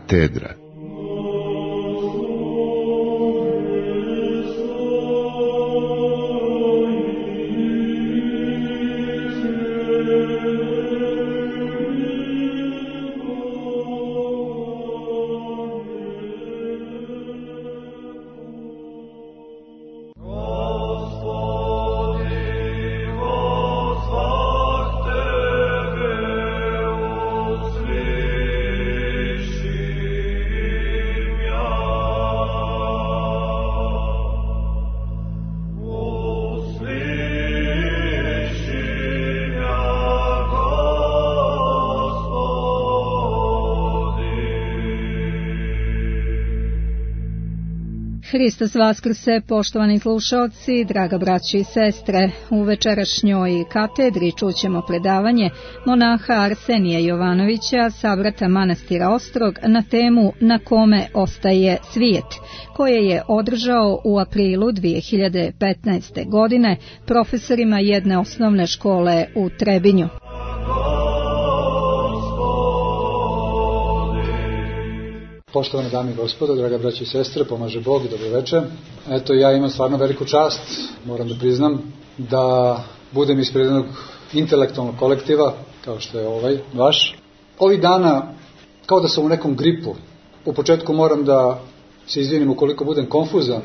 Katedra. Hristos vaskrse, poštovani slušalci, draga braći i sestre. U večerašnjoj katedri čućemo predavanje monaha Arsenija Jovanovića, sabrata manastira Ostrog, na temu Na kome ostaje svijet, koje je održao u aprilu 2015. godine profesorima jedne osnovne škole u Trebinju. Poštovane dame i gospodo, draga braći i sestre, pomaže Bog i dobro večer. Eto, ja imam stvarno veliku čast, moram da priznam, da budem ispred jednog intelektualnog kolektiva, kao što je ovaj vaš. Ovih dana, kao da sam u nekom gripu. U početku moram da se izvinim ukoliko budem konfuzan,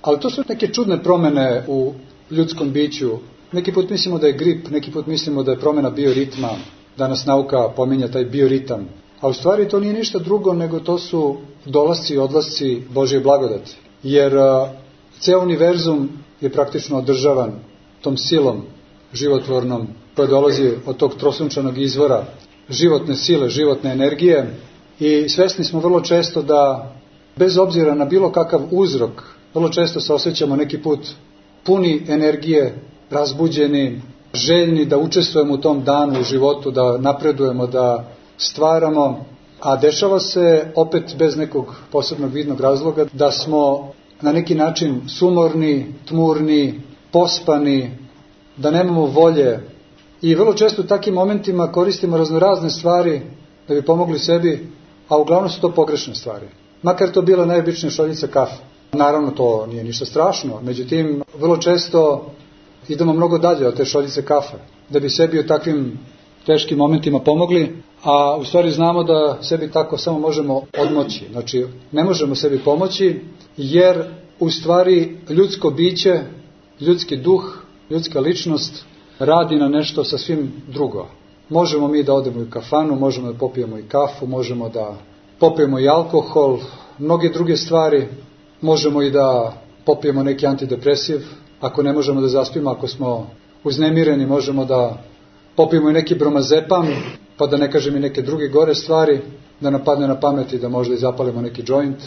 ali to su neke čudne promene u ljudskom biću. Neki put mislimo da je grip, neki put mislimo da je promena bioritma. Danas nauka pominja taj bioritam. A u stvari to nije ništa drugo nego to su dolasci i odlasci Božje blagodati. Jer ceo univerzum je praktično održavan tom silom životvornom koja dolazi od tog trosunčanog izvora životne sile, životne energije. I svesni smo vrlo često da bez obzira na bilo kakav uzrok, vrlo često se osjećamo neki put puni energije, razbuđeni, željni da učestvujemo u tom danu u životu, da napredujemo, da stvaramo, a dešava se opet bez nekog posebnog vidnog razloga da smo na neki način sumorni, tmurni, pospani, da nemamo volje i vrlo često u takvim momentima koristimo raznorazne stvari da bi pomogli sebi, a uglavnom su to pogrešne stvari. Makar to bila najobičnija šoljica kafe. Naravno to nije ništa strašno, međutim vrlo često idemo mnogo dalje od te šoljice kafe da bi sebi u takvim teškim momentima pomogli, a u stvari znamo da sebi tako samo možemo odmoći. Znači, ne možemo sebi pomoći, jer u stvari ljudsko biće, ljudski duh, ljudska ličnost radi na nešto sasvim drugo. Možemo mi da odemo u kafanu, možemo da popijemo i kafu, možemo da popijemo i alkohol, mnoge druge stvari, možemo i da popijemo neki antidepresiv, ako ne možemo da zaspimo, ako smo uznemireni, možemo da popijemo i neki bromazepam, pa da ne kažem i neke druge gore stvari, da nam padne na pamet i da možda i zapalimo neki joint.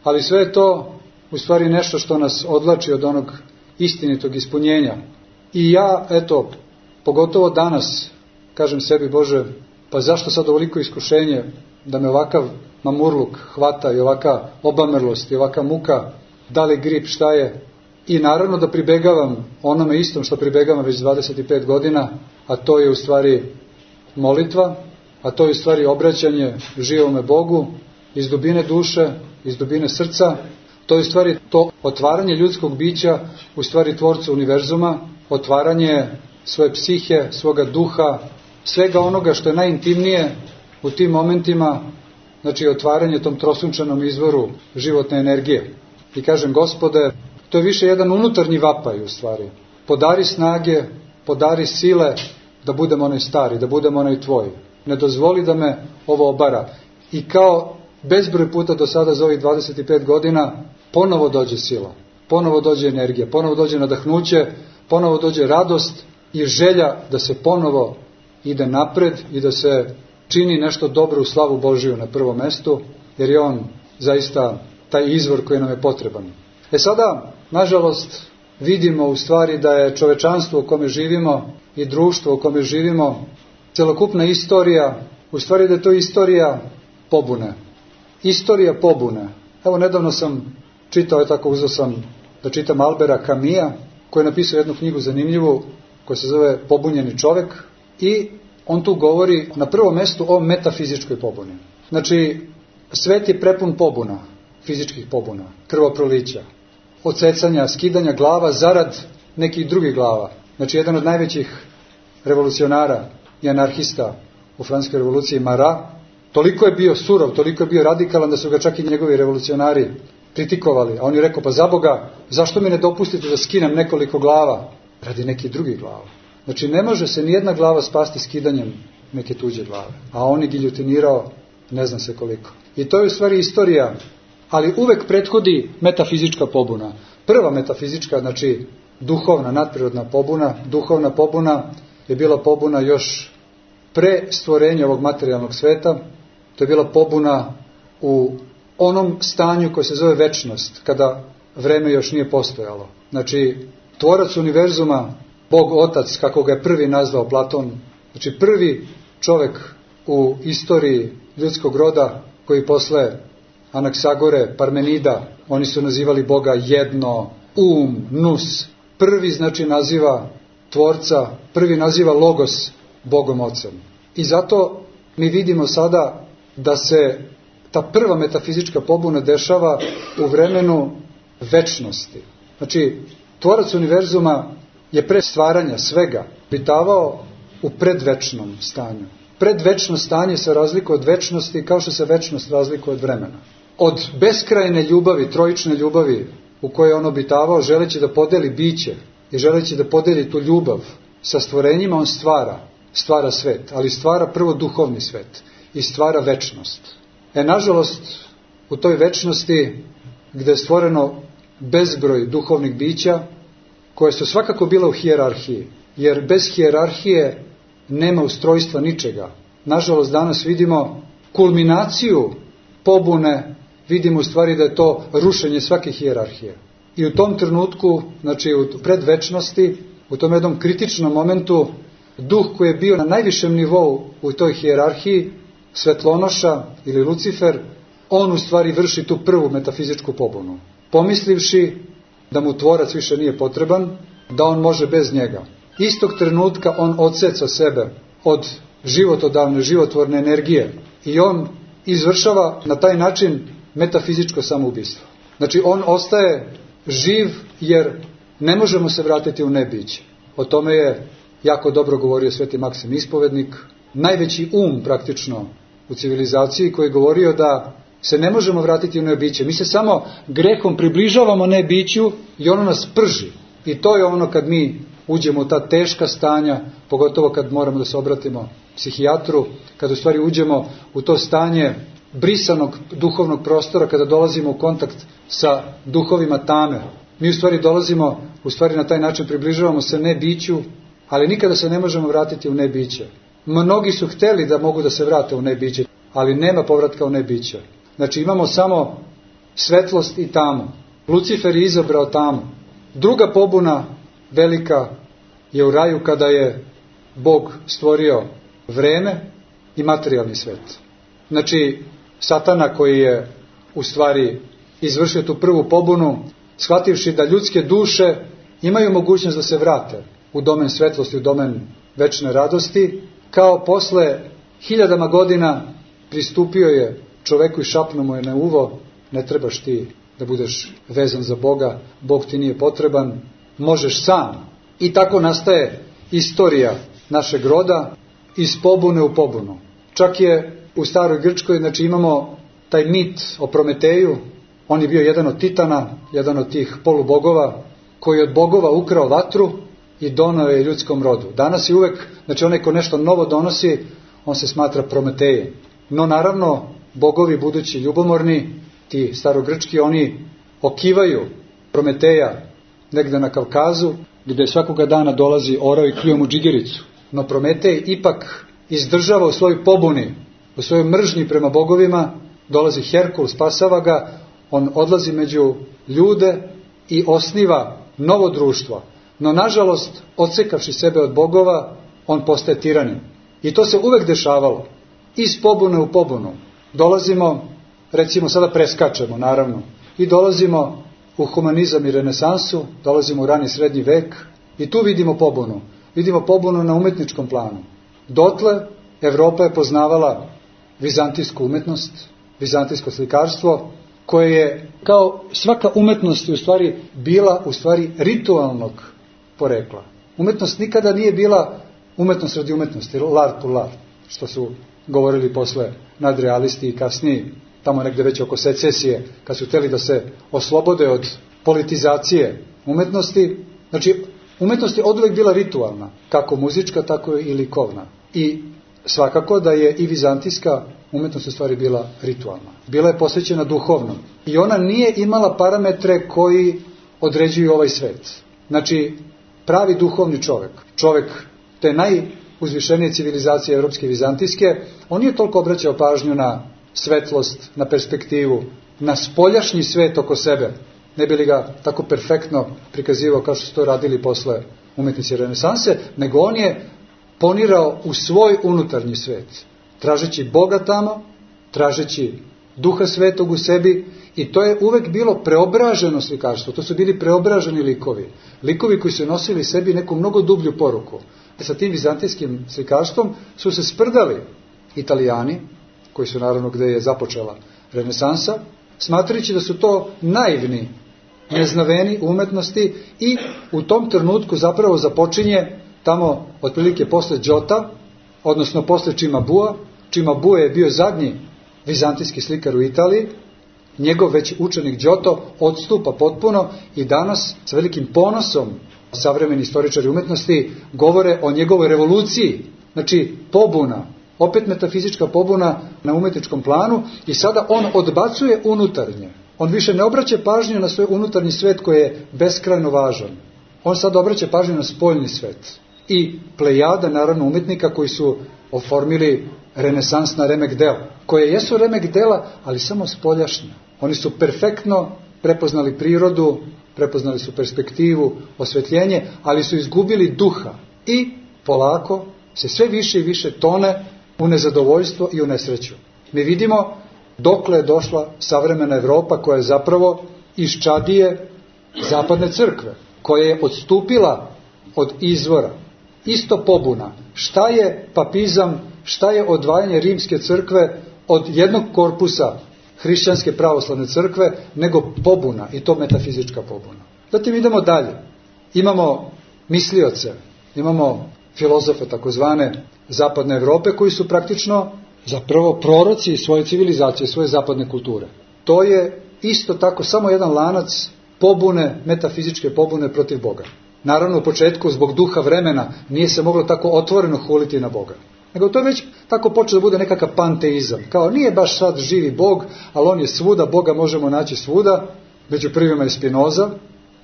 Ali sve je to u stvari nešto što nas odvlači od onog istinitog ispunjenja. I ja, eto, pogotovo danas, kažem sebi, Bože, pa zašto sad ovoliko iskušenje da me ovakav mamurluk hvata i ovaka obamrlost i ovaka muka, da li grip, šta je? I naravno da pribegavam onome istom što pribegavam već 25 godina, a to je u stvari molitva, a to je u stvari obraćanje živome Bogu iz dubine duše, iz dubine srca. To je u stvari to otvaranje ljudskog bića, u stvari tvorcu univerzuma, otvaranje svoje psihe, svoga duha, svega onoga što je najintimnije u tim momentima, znači otvaranje tom trosunčanom izvoru životne energije. I kažem, Gospode, to je više jedan unutarnji vapaj u stvari. Podari snage, podari sile da budem onaj stari, da budem onaj tvoj. Ne dozvoli da me ovo obara. I kao bezbroj puta do sada za ovih 25 godina ponovo dođe sila, ponovo dođe energija, ponovo dođe nadahnuće, ponovo dođe radost i želja da se ponovo ide napred i da se čini nešto dobro u slavu Božiju na prvom mestu, jer je on zaista taj izvor koji nam je potreban. Sada, nažalost, vidimo u stvari da je čovečanstvo u kome živimo i društvo u kome živimo, celokupna istorija, u stvari da je to istorija pobune. Istorija pobune. Evo, nedavno sam čitao, tako uzeo sam da čitam Albera Camusa, koji je napisao jednu knjigu zanimljivu, koja se zove Pobunjeni čovek, i on tu govori na prvom mestu o metafizičkoj pobuni. Znači, svet je prepun pobuna, fizičkih pobuna, krvoprolića, odsecanja, skidanja glava zarad nekih drugih glava. Znači, jedan od najvećih revolucionara i anarhista u Francuskoj revoluciji, Marat, toliko je bio surov, toliko je bio radikalan da su ga čak i njegovi revolucionari kritikovali. A on je rekao, pa za Boga, zašto mi ne dopustite da skinem nekoliko glava radi nekih drugih glava? Znači, ne može se nijedna glava spasti skidanjem neke tuđe glave. A on je giljotinirao ne znam se koliko. I to je u stvari istorija, ali uvek prethodi metafizička pobuna. Prva metafizička, znači duhovna, nadprirodna pobuna, duhovna pobuna je bila pobuna još pre stvorenja ovog materijalnog sveta. To je bila pobuna u onom stanju koje se zove večnost, kada vreme još nije postojalo. Znači, tvorac univerzuma, Bog Otac, kako ga je prvi nazvao Platon, znači prvi čovek u istoriji ljudskog roda, koji posle Anaksagore, Parmenida, oni su nazivali Boga jedno, nous. Prvi znači naziva tvorca, prvi naziva Logos Bogom Ocem. I zato mi vidimo sada da se ta prva metafizička pobuna dešava u vremenu večnosti. Znači, tvorac univerzuma je pre stvaranja svega obitavao u predvečnom stanju. Predvečno stanje se razlikuje od večnosti kao što se večnost razlikuje od vremena. Od beskrajne ljubavi, trojične ljubavi u kojoj je on obitavao, želeći da podeli biće i želeći da podeli tu ljubav sa stvorenjima, on stvara svet, ali stvara prvo duhovni svet i stvara večnost. Nažalost, u toj večnosti gde je stvoreno bezbroj duhovnih bića, koje su svakako bila u hijerarhiji, jer bez hijerarhije nema ustrojstva ničega. Nažalost, danas vidimo kulminaciju pobune, vidimo u stvari da je to rušenje svake hijerarhije. I u tom trenutku, znači u predvečnosti, u tom jednom kritičnom momentu, duh koji je bio na najvišem nivou u toj hijerarhiji, Svetlonoša ili Lucifer, on u stvari vrši tu prvu metafizičku pobunu, pomislivši da mu tvorac više nije potreban, da on može bez njega. Istog trenutka on odseca sebe od životodavne, životvorne energije i on izvršava na taj način metafizičko samoubistvo. Znači, on ostaje živ jer ne možemo se vratiti u nebiće. O tome je jako dobro govorio Sveti Maksim Ispovednik, najveći praktično u civilizaciji, koji je govorio da se ne možemo vratiti u nebiće. Mi se samo grehom približavamo nebiću i ono nas prži. I to je ono kad mi uđemo u ta teška stanja, pogotovo kad moramo da se obratimo psihijatru, kad u stvari uđemo u to stanje brisanog duhovnog prostora, kada dolazimo u kontakt sa duhovima tame. Mi u stvari dolazimo, na taj način približavamo se nebiću, ali nikada se ne možemo vratiti u nebiće. Mnogi su hteli da mogu da se vrate u nebiće, ali nema povratka u nebiće. Znači, imamo samo svetlost i tamu. Lucifer je izabrao tamu. Druga pobuna velika je u raju, kada je Bog stvorio vreme i materijalni svet. Znači, Satana, koji je u stvari izvršio tu prvu pobunu, shvativši da ljudske duše imaju mogućnost da se vrate u domen svetlosti, u domen večne radosti, kao posle 1000 godina pristupio je čoveku i šapnuo mu je na uvo: ne trebaš ti da budeš vezan za Boga, Bog ti nije potreban, možeš sam. I tako nastaje istorija našeg roda, iz pobune u pobunu. Čak je u staroj Grčkoj, znači imamo taj mit o Prometeju, on je bio jedan od titana, jedan od tih polubogova, koji je od bogova ukrao vatru i doneo je ljudskom rodu. Danas je uvek, znači onaj ko nešto novo donosi, on se smatra Prometejem. No naravno, bogovi budući ljubomorni, ti starogrčki, oni okivaju Prometeja negde na Kavkazu, gde svakoga dana dolazi orao i kljuo mu džigericu. No Prometej ipak izdržava u svojoj pobuni, u svojoj mržnji prema bogovima, dolazi Herkul, spasava ga, on odlazi među ljude i osniva novo društvo. No nažalost, odsekavši sebe od bogova, on postaje tiranin. I to se uvek dešavalo. Iz pobune u pobunu. Dolazimo, recimo sada preskačemo naravno, i dolazimo u humanizam i renesansu, dolazimo u rani srednji vek i tu vidimo pobunu. Vidimo pobunu na umetničkom planu. Dotle Evropa je poznavala vizantijsku umetnost, vizantijsko slikarstvo, koje je kao svaka umetnost u stvari bila u stvari ritualnog porekla. Umetnost nikada nije bila umetnost radi umetnosti, l'art pour l'art, što su govorili posle nadrealisti i kasniji, tamo negde već oko secesije, kad su hteli da se oslobode od politizacije umetnosti. Znači, umetnost je oduvek bila ritualna, kako muzička, tako i likovna. I svakako da je i vizantijska umetnost u stvari bila ritualna. Bila je posvećena duhovnom. I ona nije imala parametre koji određuju ovaj svet. Znači, pravi duhovni čovek te najuzvišenije civilizacije evropske i vizantijske, on nije toliko obraćao pažnju na svetlost, na perspektivu, na spoljašnji svet oko sebe, ne bi li ga tako perfektno prikazivao kao što su to radili posle umetnici renesanse, nego on je ponirao u svoj unutarnji svet, tražeći Boga tamo, tražeći Duha Svetog u sebi, i to je uvek bilo preobraženo slikarstvo. To su bili preobraženi likovi. Likovi koji su nosili sebi neku mnogo dublju poruku. Sa tim vizantijskim slikarstvom su se sprdali Italijani, koji su naravno gde je započela renesansa, smatrajući da su to naivni, neznaveni umetnosti, i u tom trenutku zapravo započinje tamo otprilike posle Giota, odnosno posle Cimabua. Cimabue je bio zadnji vizantijski slikar u Italiji, njegov već učenik Giotto odstupa potpuno i danas sa velikim ponosom savremeni istoričari umetnosti govore o njegovoj revoluciji, znači pobuna, opet metafizička pobuna na umetničkom planu, i sada on odbacuje unutarnje. On više ne obraća pažnju na svoj unutarnji svet koji je beskrajno važan. On sad obraća pažnju na spoljni svet. I plejada, naravno, umetnika koji su oformili renesansna remek dela, koje jesu remek dela, ali samo spoljašnja. Oni su perfektno prepoznali prirodu, prepoznali su perspektivu, osvetljenje, ali su izgubili duha i polako se sve više i više tone u nezadovoljstvo i u nesreću. Mi vidimo dokle je došla savremena Evropa, koja je zapravo iščadije zapadne crkve, koja je odstupila od izvora. Isto pobuna. Šta je papizam, šta je odvajanje rimske crkve od jednog korpusa hrišćanske pravoslavne crkve, nego pobuna, i to metafizička pobuna. Zatim idemo dalje. Imamo mislioce, imamo filozofe takozvane zapadne Evrope, koji su praktično zapravo proroci svoje civilizacije, svoje zapadne kulture. To je isto tako samo jedan lanac pobune, metafizičke pobune protiv Boga. Naravno, u početku, zbog duha vremena, nije se moglo tako otvoreno huliti na Boga. Nego to je već tako počeo da bude nekakav panteizam. Kao, nije baš sad živi Bog, ali on je svuda, Boga možemo naći svuda. Među prvima je Spinoza,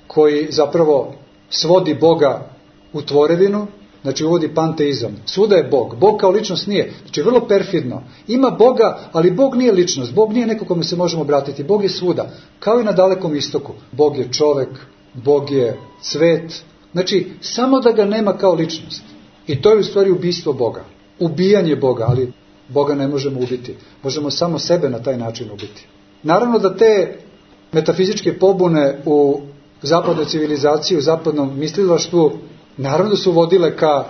koji zapravo svodi Boga u tvorevinu, znači uvodi panteizam. Svuda je Bog. Bog kao ličnost nije. Znači, vrlo perfidno. Ima Boga, ali Bog nije ličnost. Bog nije neko kome se možemo obratiti. Bog je svuda. Kao i na Dalekom istoku. Bog je čovek, Bog je cvet. Znači, samo da ga nema kao ličnost. I to je u stvari ubistvo Boga. Ubijanje Boga, ali Boga ne možemo ubiti. Možemo samo sebe na taj način ubiti. Naravno da te metafizičke pobune u zapadnoj civilizaciji, u zapadnom mislilaštvu, naravno da su vodile ka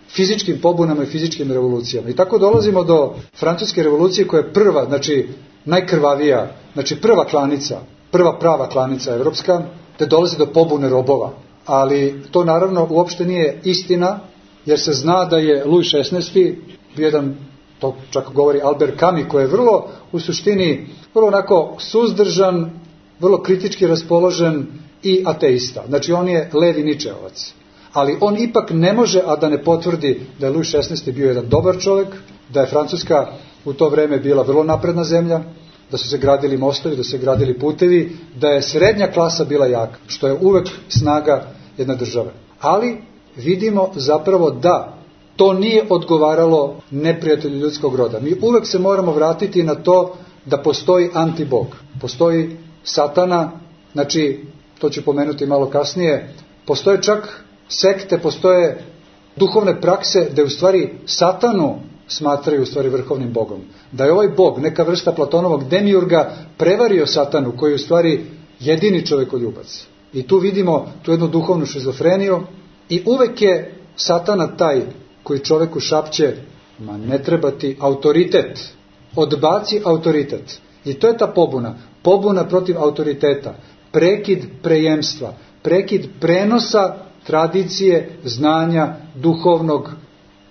fizičkim pobunama i fizičkim revolucijama. I tako dolazimo do Francuske revolucije, koja je prva, znači najkrvavija, znači prva klanica, prva prava klanica evropska, te dolazi do pobune robova. Ali to naravno uopšte nije istina, jer se zna da je Louis XVI bio jedan, to čak govori Albert Camus, koji je vrlo, u suštini, vrlo onako suzdržan, vrlo kritički raspoložen i ateista. Znači on je levi ničeovac. Ali on ipak ne može, a da ne potvrdi da je Louis XVI bio jedan dobar čovjek, da je Francuska u to vreme bila vrlo napredna zemlja, da su se gradili mostovi, da su se gradili putevi, da je srednja klasa bila jaka, što je uvek snaga jedne države. Ali vidimo zapravo da to nije odgovaralo neprijatelju ljudskog roda. Mi uvek se moramo vratiti na to da postoji antibog. Postoji satana, znači, to ću pomenuti malo kasnije, postoje čak sekte, postoje duhovne prakse da u stvari satanu smatraju u stvari vrhovnim bogom. Da je ovaj bog, neka vrsta Platonovog demiurga, prevario satanu, koji je u stvari jedini čovekoljubac. I tu vidimo tu jednu duhovnu šizofreniju i uvek je satana taj koji čoveku šapće: ma ne treba ti autoritet, odbaci autoritet. I to je ta pobuna. Pobuna protiv autoriteta. Prekid prejemstva. Prekid prenosa tradicije, znanja, duhovnog,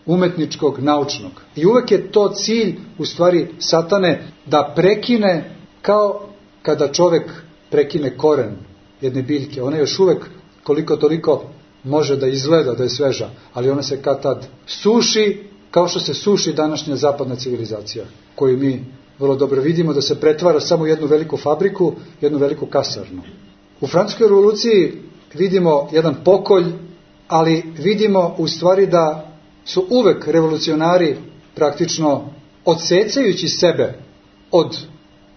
umetničkog, naučnog. I uvek je to cilj, u stvari, satane, da prekine, kao kada čovek prekine koren jedne biljke. Ona još uvek, koliko toliko, može da izgleda da je sveža, ali ona se kad tad suši, kao što se suši današnja zapadna civilizacija, koju mi vrlo dobro vidimo da se pretvara samo u jednu veliku fabriku, jednu veliku kasarnu. U Francuskoj revoluciji vidimo jedan pokolj, ali vidimo u stvari da su uvek revolucionari praktično odsecajući sebe od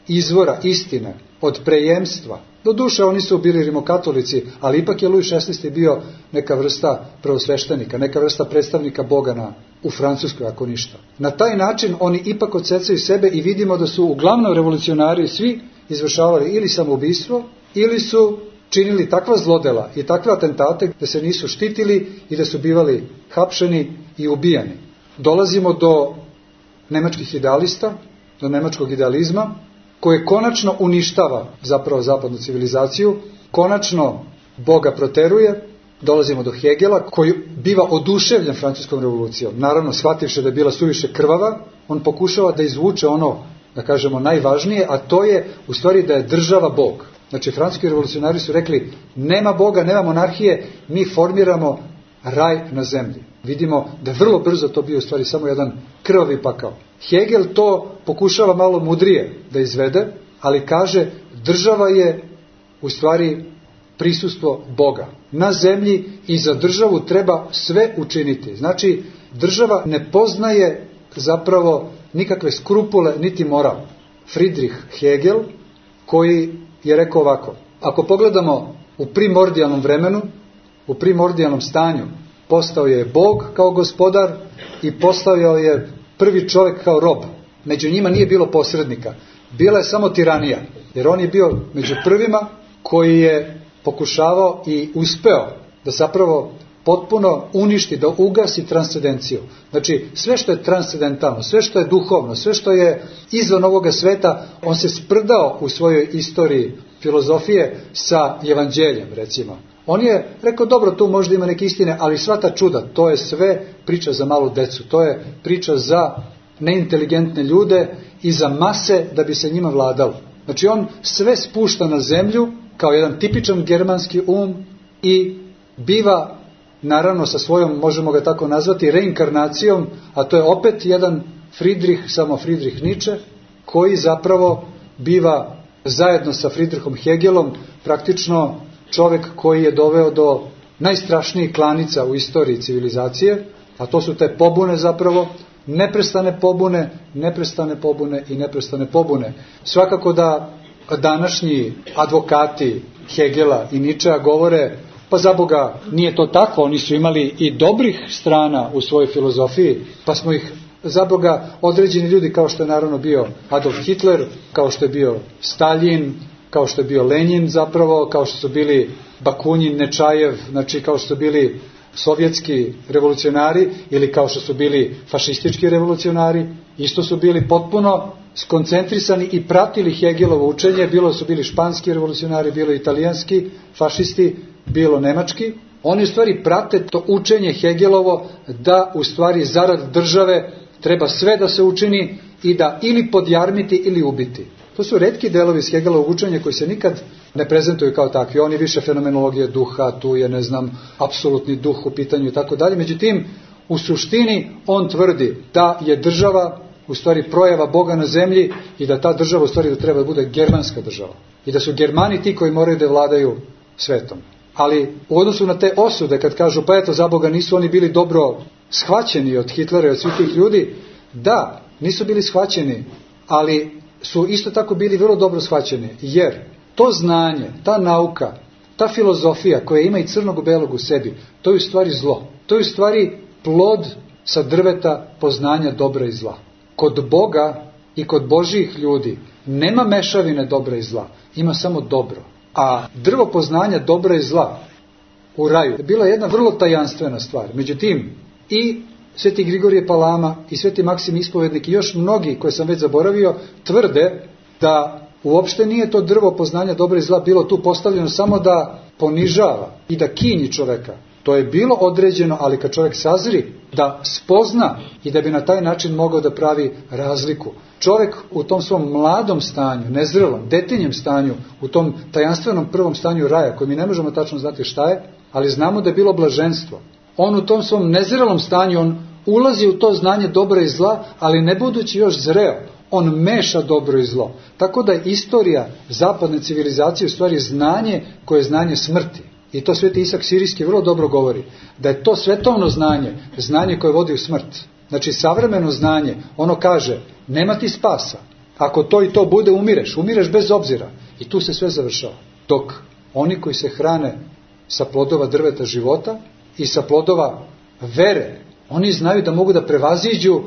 izvora istine, od prejemstva. Doduše, oni su bili rimokatolici, ali ipak je Louis XVI bio neka vrsta prvosveštenika, neka vrsta predstavnika Boga u Francuskoj, ako ništa. Na taj način oni ipak odsecaju sebe i vidimo da su uglavnom revolucionari svi izvršavali ili samoubistvo, ili su činili takva zlodela i takve atentate da se nisu štitili i da su bivali hapšeni i ubijani. Dolazimo do nemačkih idealista, do nemačkog idealizma, koje konačno uništava zapravo zapadnu civilizaciju, konačno Boga proteruje. Dolazimo do Hegela, koji biva oduševljen francuskom revolucijom. Naravno, shvativši da je bila suviše krvava, on pokušava da izvuče ono, da kažemo, najvažnije, a to je u stvari da je država Bog. Znači, francuski revolucionari su rekli, nema Boga, nema monarhije, mi formiramo raj na zemlji. Vidimo da je vrlo brzo to bio u stvari samo jedan krvavi pakao. Hegel to pokušava malo mudrije da izvede, ali kaže, država je u stvari prisustvo Boga na zemlji i za državu treba sve učiniti. Znači, država ne poznaje zapravo nikakve skrupule niti moral. Friedrich Hegel, koji je rekao ovako, ako pogledamo u primordijalnom vremenu, u primordijalnom stanju, postao je Bog kao gospodar i postavio je prvi čovjek kao rob. Među njima nije bilo posrednika. Bila je samo tiranija. Jer on je bio među prvima koji je pokušavao i uspeo da zapravo potpuno uništi, da ugasi transcendenciju. Znači, sve što je transcendentalno, sve što je duhovno, sve što je izvan ovoga sveta, on se sprdao u svojoj istoriji filozofije sa evanđeljem, recimo. On je rekao, dobro, tu možda ima neke istine, ali sva ta čuda, to je sve priča za malu decu, to je priča za neinteligentne ljude i za mase da bi se njima vladalo. Znači, on sve spušta na zemlju kao jedan tipičan germanski i biva, naravno sa svojom, možemo ga tako nazvati, reinkarnacijom, a to je opet jedan Friedrich, samo Friedrich Nietzsche, koji zapravo biva zajedno sa Friedrichom Hegelom praktično čovjek koji je doveo do najstrašnijih klanica u istoriji civilizacije, a to su te pobune zapravo, neprestane pobune i neprestane pobune. Svakako da današnji advokati Hegela i Nietzschea govore, pa za Boga nije to tako, oni su imali i dobrih strana u svojoj filozofiji, pa smo ih za Boga određeni ljudi, kao što je naravno bio Adolf Hitler, kao što je bio Stalin, kao što je bio Lenin zapravo, kao što su bili Bakunin, Nečajev, znači kao što su bili sovjetski revolucionari ili kao što su bili fašistički revolucionari, isto su bili potpuno skoncentrisani i pratili Hegelovo učenje, bilo su bili španski revolucionari, bilo italijanski fašisti, bilo nemački. Oni u stvari prate to učenje Hegelovo da u stvari zarad države treba sve da se učini i da ili podjarmiti ili ubiti. To su retki delovi iz Hegelovog učenja koji se nikad ne prezentuju kao takvi. On je više fenomenologije duha, tu je, apsolutni duh u pitanju i tako dalje. Međutim, u suštini on tvrdi da je država u stvari projava Boga na zemlji i da ta država u stvari da treba da bude germanska država. I da su Germani ti koji moraju da vladaju svetom. Ali u odnosu na te osude, kad kažu pa eto za Boga nisu oni bili dobro shvaćeni od Hitlera i od svih tih ljudi, da, nisu bili shvaćeni, ali su isto tako bili vrlo dobro shvaćeni, jer to znanje, ta nauka, ta filozofija koja ima i crnog i belog u sebi, to je u stvari zlo. To je u stvari plod sa drveta poznanja dobra i zla. Kod Boga i kod Božjih ljudi nema mešavine dobra i zla, ima samo dobro. A drvo poznanja dobra i zla u raju je bila jedna vrlo tajanstvena stvar. Međutim, i Sveti Grigorije Palama i Sveti Maksim Ispovednik i još mnogi koje sam već zaboravio tvrde da uopšte nije to drvo poznanja dobra i zla bilo tu postavljeno samo da ponižava i da kinji čoveka. To je bilo određeno, ali kad čovjek sazri, da spozna i da bi na taj način mogao da pravi razliku. Čovjek u tom svom mladom stanju, nezrelom, detinjem stanju, u tom tajanstvenom prvom stanju raja, koji mi ne možemo tačno znati šta je, ali znamo da je bilo blaženstvo. On u tom svom nezrelom stanju, on ulazi u to znanje dobra i zla, ali ne budući još zreo, on meša dobro i zlo. Tako da je istorija zapadne civilizacije u stvari znanje koje je znanje smrti. I to Sveti Isak Sirijski vrlo dobro govori, da je to svetovno znanje, znanje koje vodi u smrt. Znači savremeno znanje, ono kaže, nema ti spasa. Ako to i to bude, umireš bez obzira. I tu se sve završava. Dok oni koji se hrane sa plodova drveta života i sa plodova vere, oni znaju da mogu da prevaziđu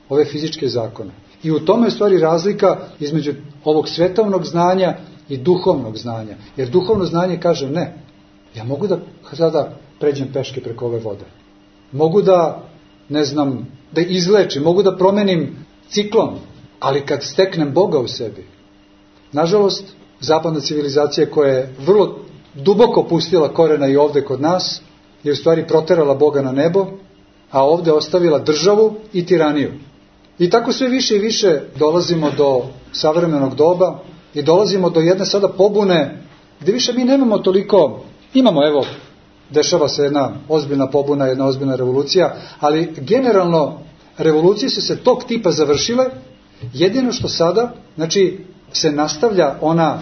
ove fizičke zakone. I u tome je u stvari razlika između ovog svetovnog znanja i duhovnog znanja. Jer duhovno znanje kaže ne. Ja mogu da sada pređem peške preko ove vode. Mogu da, da izlečim, mogu da promenim ciklon, ali kad steknem Boga u sebi. Nažalost, zapadna civilizacija koja je vrlo duboko pustila korena i ovde kod nas, je u stvari proterala Boga na nebo, a ovde ostavila državu i tiraniju. I tako sve više i više dolazimo do savremenog doba i dolazimo do jedne sada pobune gdje više mi nemamo toliko, imamo dešava se jedna ozbiljna pobuna, jedna ozbiljna revolucija, ali generalno revolucije su se tog tipa završile, jedino što sada, se nastavlja ona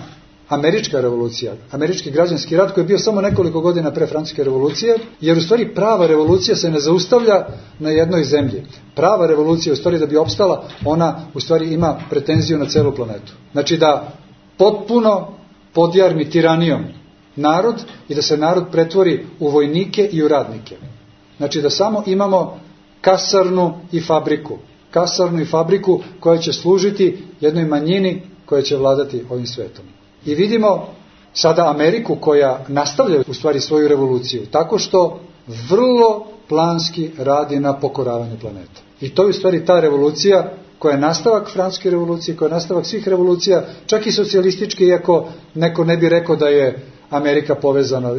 američka revolucija, američki građanski rat koji je bio samo nekoliko godina pre Francuske revolucije, jer u stvari prava revolucija se ne zaustavlja na jednoj zemlji. Prava revolucija u stvari da bi opstala, ona u stvari ima pretenziju na celu planetu. Znači da potpuno podjarmi tiranijom narod i da se narod pretvori u vojnike i u radnike. Znači da samo imamo kasarnu i fabriku koja će služiti jednoj manjini koja će vladati ovim svetom. I vidimo sada Ameriku koja nastavlja u stvari svoju revoluciju tako što vrlo planski radi na pokoravanju planeta. I to je u stvari ta revolucija koja je nastavak Francuske revolucije, koja je nastavak svih revolucija, čak i socijalističke, iako neko ne bi rekao da je Amerika povezana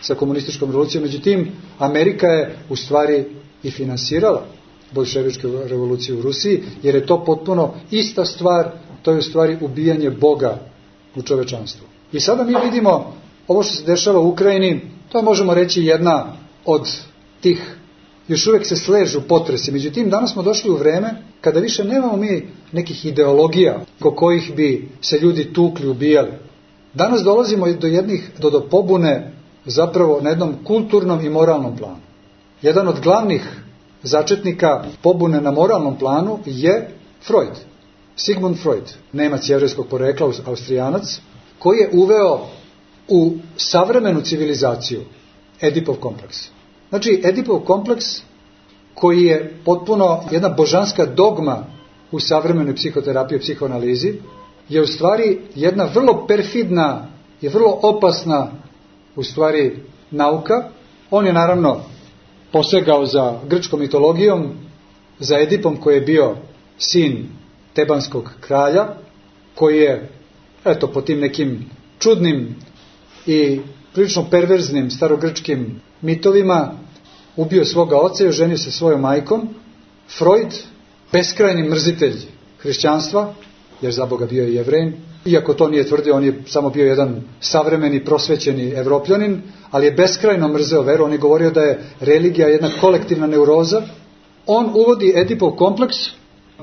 sa komunističkom revolucijom. Međutim, Amerika je u stvari i finansirala boljševičku revoluciju u Rusiji, jer je to potpuno ista stvar, to je u stvari ubijanje Boga u čovečanstvu. I sada mi vidimo ovo što se dešava u Ukrajini, to je možemo reći jedna od tih, još uvijek se sležu potresi. Međutim, danas smo došli u vreme kada više nemamo mi nekih ideologija ko kojih bi se ljudi tukli, ubijali. Danas dolazimo do pobune zapravo na jednom kulturnom i moralnom planu. Jedan od glavnih začetnika pobune na moralnom planu je Freud. Sigmund Freud, Nemac jevrejskog porekla, Austrijanac, koji je uveo u savremenu civilizaciju Edipov kompleks. Znači, Edipov kompleks koji je potpuno jedna božanska dogma u savremenoj psihoterapiji i psihoanalizi, je u stvari jedna vrlo perfidna i vrlo opasna u stvari nauka. On je naravno posegao za grčkom mitologijom, za Edipom koji je bio sin tebanskog kralja, koji je, po tim nekim čudnim i prilično perverznim starogrčkim mitovima ubio svoga oca i oženio se svojom majkom. Freud, beskrajni mrzitelj hrišćanstva, jer za Boga bio je Jevrej, iako to nije tvrdio, on je samo bio jedan savremeni, prosvećeni Evropljanin, ali je beskrajno mrzeo veru. On je govorio da je religija jedna kolektivna neuroza. On uvodi Edipov kompleks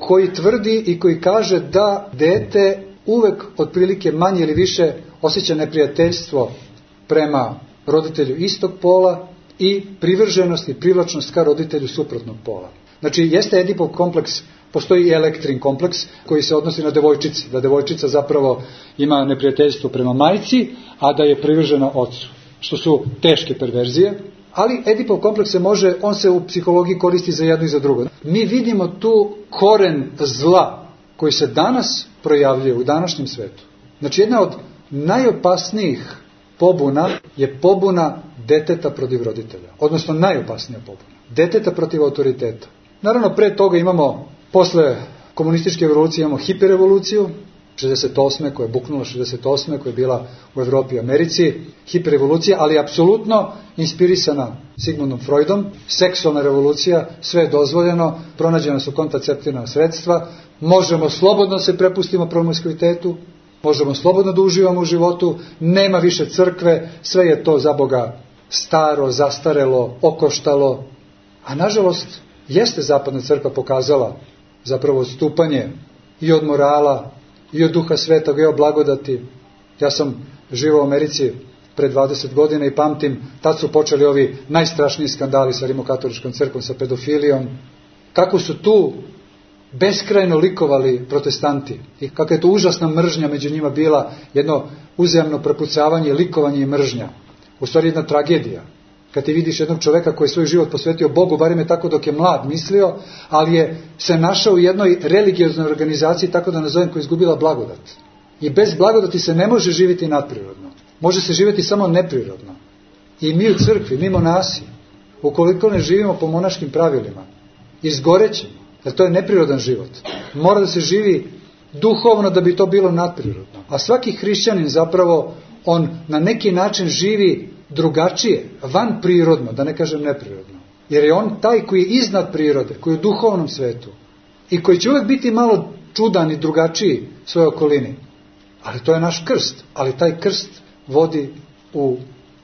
koji tvrdi i koji kaže da dete uvek otprilike manje ili više osjeća neprijateljstvo prema roditelju istog pola i privrženost i privlačnost ka roditelju suprotnog pola. Znači, jeste Edipov kompleks, postoji i Elektrin kompleks koji se odnosi na devojčici, da devojčica zapravo ima neprijateljstvo prema majci, a da je privržena ocu, što su teške perverzije. Ali Edipov kompleks on se u psihologiji koristi za jedno i za drugo. Mi vidimo tu koren zla koji se danas projavljuje u današnjem svetu. Znači, jedna od najopasnijih pobuna je pobuna deteta protiv roditelja. Odnosno najopasnija pobuna. Deteta protiv autoriteta. Naravno, pre toga imamo, posle komunističke revolucije imamo hiperrevoluciju, 68. koja je buknula 68. koja je bila u Evropi i Americi, hiperrevolucija, ali apsolutno inspirisana Sigmundom Freudom, seksualna revolucija, sve je dozvoljeno, pronađena su kontraceptivna sredstva, možemo slobodno se prepustimo promiskuitetu, možemo slobodno da uživamo u životu, nema više crkve, sve je to za Boga staro, zastarelo, okoštalo, a nažalost jeste zapadna crkva pokazala zapravo odstupanje i od morala, i od Duha Svetog, i od blagodati. Ja sam živao u Americi pre 20 godina i pamtim, tad su počeli ovi najstrašniji skandali sa rimokatoličkom crkvom, sa pedofilijom. Kako su tu beskrajno likovali protestanti i kakva je to užasna mržnja među njima bila, jedno uzajamno prepucavanje, likovanje i mržnja. U stvari jedna tragedija. Kad ti vidiš jednog čoveka koji je svoj život posvetio Bogu, barem je tako dok je mlad mislio, ali je se našao u jednoj religioznoj organizaciji, tako da nazovem, koja je izgubila blagodat. I bez blagodati se ne može živjeti nadprirodno. Može se živjeti samo neprirodno. I mi u crkvi, mi monasi, ukoliko ne živimo po monaškim pravilima, izgorećemo, jer to je neprirodan život. Mora da se živi duhovno da bi to bilo nadprirodno. A svaki hrišćanin zapravo, on na neki način živi drugačije, van prirodno, da ne kažem neprirodno. Jer je on taj koji je iznad prirode, koji je u duhovnom svetu i koji će uvijek biti malo čudan i drugačiji svojoj okolini. Ali to je naš krst, ali taj krst vodi u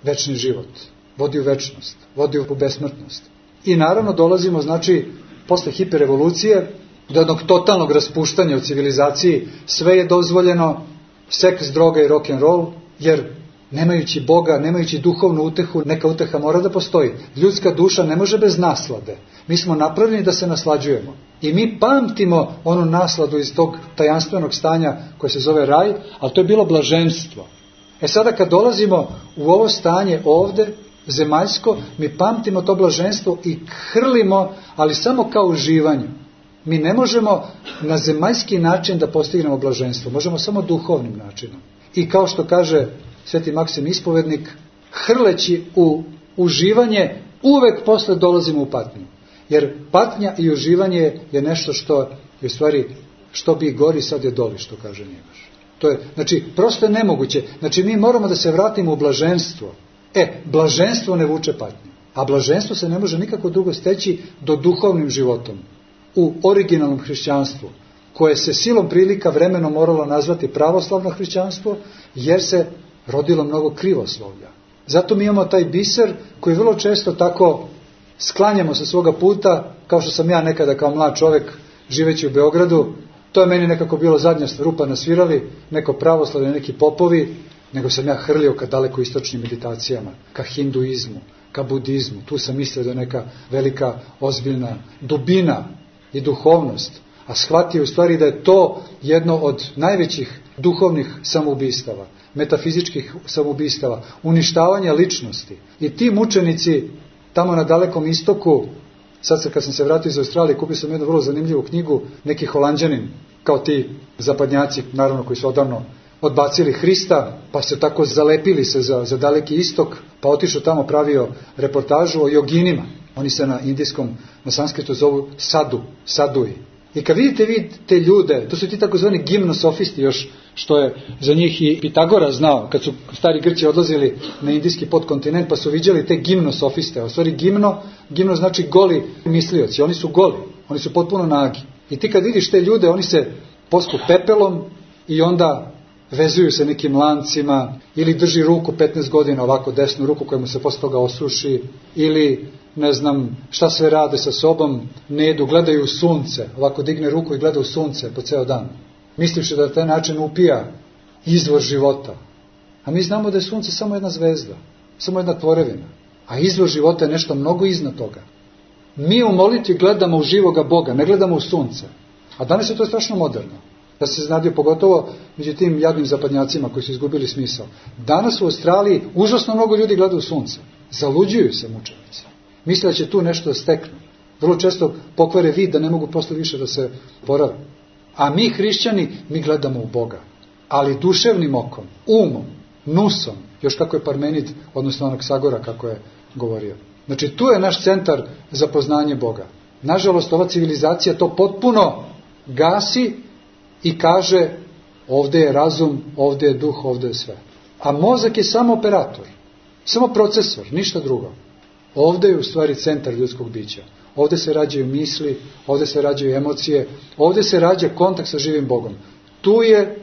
večni život, vodi u večnost, vodi u besmrtnost. I naravno dolazimo, znači, posle hiperrevolucije, do jednog totalnog raspuštanja u civilizaciji, sve je dozvoljeno, seks, droga i rock'n'roll, jer nemajući Boga, nemajući duhovnu utehu, neka uteha mora da postoji. Ljudska duša ne može bez naslade. Mi smo napravljeni da se naslađujemo. I mi pamtimo onu nasladu iz tog tajanstvenog stanja koje se zove raj, ali to je bilo blaženstvo. E sada kad dolazimo u ovo stanje ovde, zemaljsko, mi pamtimo to blaženstvo i hrlimo, ali samo kao uživanju. Mi ne možemo na zemaljski način da postignemo blaženstvo. Možemo samo duhovnim načinom. I kao što kaže Sveti Maksim Ispovednik, hrleći u uživanje, uvek posle dolazimo u patnju. Jer patnja i uživanje je nešto što je u stvari, što bi gori, sad je doli, što kaže Njegoš. To je, znači, prosto je nemoguće. Znači, mi moramo da se vratimo u blaženstvo. Blaženstvo ne vuče patnju. A blaženstvo se ne može nikako drugo steći do duhovnim životom. U originalnom hrišćanstvu, koje se silom prilika vremenom moralo nazvati pravoslavno hrišćanstvo, jer se rodilo mnogo krivoslovlja. Zato mi imamo taj biser koji vrlo često tako sklanjamo sa svoga puta, kao što sam ja nekada kao mlad čovjek živeći u Beogradu. To je meni nekako bilo zadnja rupa na svirali, neko pravoslavlje, neki popovi, nego sam ja hrlio ka daleko istočnim meditacijama, ka hinduizmu, ka budizmu. Tu sam mislio da je neka velika, ozbiljna dubina i duhovnost. A shvatio u stvari da je to jedno od najvećih duhovnih samoubistava, metafizičkih samoubistava, uništavanja ličnosti. I ti mučenici tamo na dalekom istoku, sad kad sam se vratio iz Australije, kupio sam jednu vrlo zanimljivu knjigu, neki Holanđanin, kao ti zapadnjaci, naravno koji su odavno odbacili Hrista, pa se tako zalepili se za daleki istok, pa otišao tamo, pravio reportažu o joginima. Oni se na indijskom, na sanskritu zovu saduji. I kad vidite te ljude, to su ti takozvani gimnosofisti još, što je za njih i Pitagora znao, kad su stari Grci odlazili na indijski podkontinent, pa su viđali te gimnosofiste. U stvari gimno znači goli mislioci, oni su goli, oni su potpuno nagi. I ti kad vidiš te ljude, oni se pospu pepelom i onda vezuju se nekim lancima, ili drži ruku 15 godina, ovako desnu ruku koja mu se posle toga osuši, ili ne znam šta sve rade sa sobom, ne jedu, gledaju u sunce, ovako digne ruku i gleda u sunce po ceo dan, mislivši da na taj način upija izvor života. A mi znamo da je sunce samo jedna zvezda, samo jedna tvorevina, a izvor života je nešto mnogo iznad toga. Mi u molitvi gledamo u živoga Boga, ne gledamo u sunce. A danas je to strašno moderno. Da se znadio pogotovo među tim jadnim zapadnjacima koji su izgubili smisao. Danas u Australiji užasno mnogo ljudi gleda u sunce. Zaluđuju se mučenici. Misle da će tu nešto da steknu. Vrlo često pokvare vid da ne mogu posle više da se porave. A mi hrišćani, mi gledamo u Boga. Ali duševnim okom, umom, nusom, još kako je Parmenid, odnosno Anaksagora kako je govorio. Znači tu je naš centar za poznanje Boga. Nažalost, ova civilizacija to potpuno gasi i kaže Ovde je razum, ovde je duh, ovde je sve. A mozak je samo operator, samo procesor, ništa drugo. Ovde je u stvari centar ljudskog bića. Ovde se rađaju misli, ovde se rađaju emocije, ovde se rađa kontakt sa živim Bogom. Tu je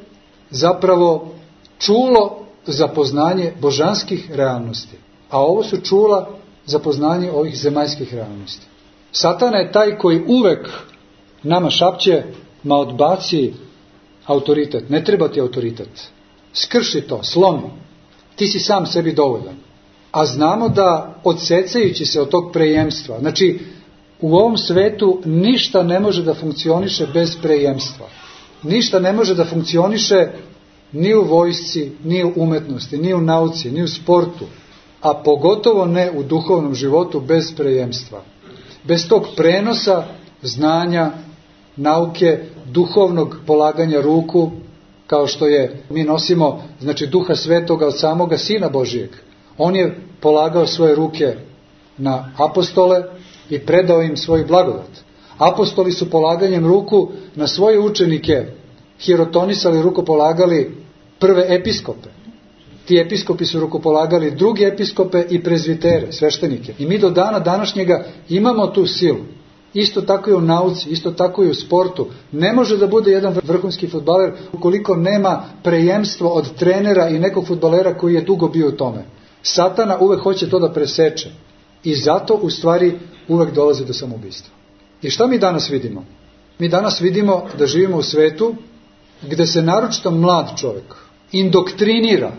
zapravo čulo za poznanje božanskih realnosti. A ovo su čula za poznanje ovih zemaljskih realnosti. Satana je taj koji uvek nama šapće, ma odbaci autoritet. Ne treba ti autoritet. Skrši to, slomi. Ti si sam sebi dovoljan. A znamo da odsecajući se od tog prejemstva, znači u ovom svetu ništa ne može da funkcioniše bez prejemstva. Ništa ne može da funkcioniše ni u vojsci, ni u umetnosti, ni u nauci, ni u sportu, a pogotovo ne u duhovnom životu bez prejemstva. Bez tog prenosa znanja, nauke, duhovnog polaganja ruku, kao što je, mi nosimo, znači Duha Svetoga od samoga Sina Božijeg. On je polagao svoje ruke na apostole i predao im svoju blagodat. Apostoli su polaganjem ruku na svoje učenike hirotonisali, rukopolagali prve episkope. Ti episkopi su rukopolagali drugi episkope i prezvitere, sveštenike. I mi do dana današnjega imamo tu silu. Isto tako i u nauci, isto tako i u sportu. Ne može da bude jedan vrhunski fudbaler ukoliko nema prejemstvo od trenera i nekog fudbalera koji je dugo bio u tome. Satana uvek hoće to da preseče. I zato u stvari uvek dolazi do samoubistva. I šta mi danas vidimo? Mi danas vidimo da živimo u svetu gde se naročito mlad čovjek indoktrinira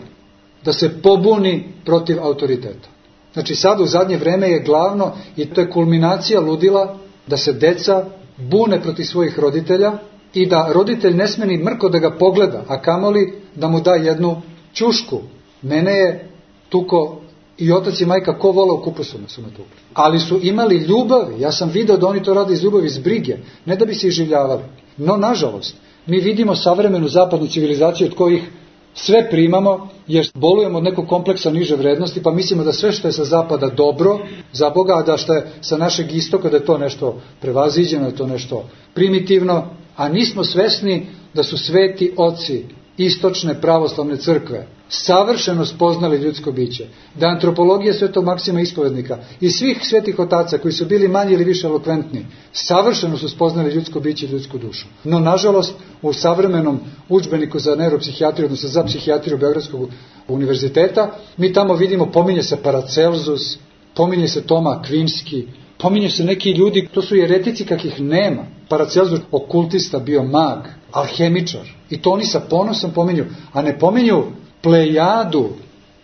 da se pobuni protiv autoriteta. Znači sad u zadnje vreme je glavno, i to je kulminacija ludila, da se deca bune protiv svojih roditelja i da roditelj ne sme ni mrko da ga pogleda, a kamoli da mu da jednu ćušku. Mene je tuko i otac i majka ko vola u kupusu su me tukli. Ali su imali ljubavi, ja sam video da oni to rade iz ljubavi, iz brige, ne da bi se iživljavali. No, nažalost, mi vidimo savremenu zapadnu civilizaciju od kojih sve primamo, jer bolujemo od nekog kompleksa niže vrednosti, pa mislimo da sve što je sa zapada dobro za Boga, a da što je sa našeg istoka da je to nešto prevaziđeno, da je to nešto primitivno, a nismo svesni da su sveti oci istočne pravoslavne crkve savršeno spoznali ljudsko biće, da antropologija Svetog Maksima Ispovednika i svih svetih otaca koji su bili manje ili više elokventni, savršeno su spoznali ljudsko biće i ljudsku dušu. No, nažalost, u savremenom udžbeniku za neuropsihijatriju, odnosno za psihijatriju Beogradskog univerziteta, mi tamo vidimo, pominje se Paracelsus, pominje se Toma Akvinski, pominje se neki ljudi, to su jeretici kakih nema. Paracelsus, okultista, bio mag, alhemičar. I to oni sa ponosom pominju, a ne pominju plejadu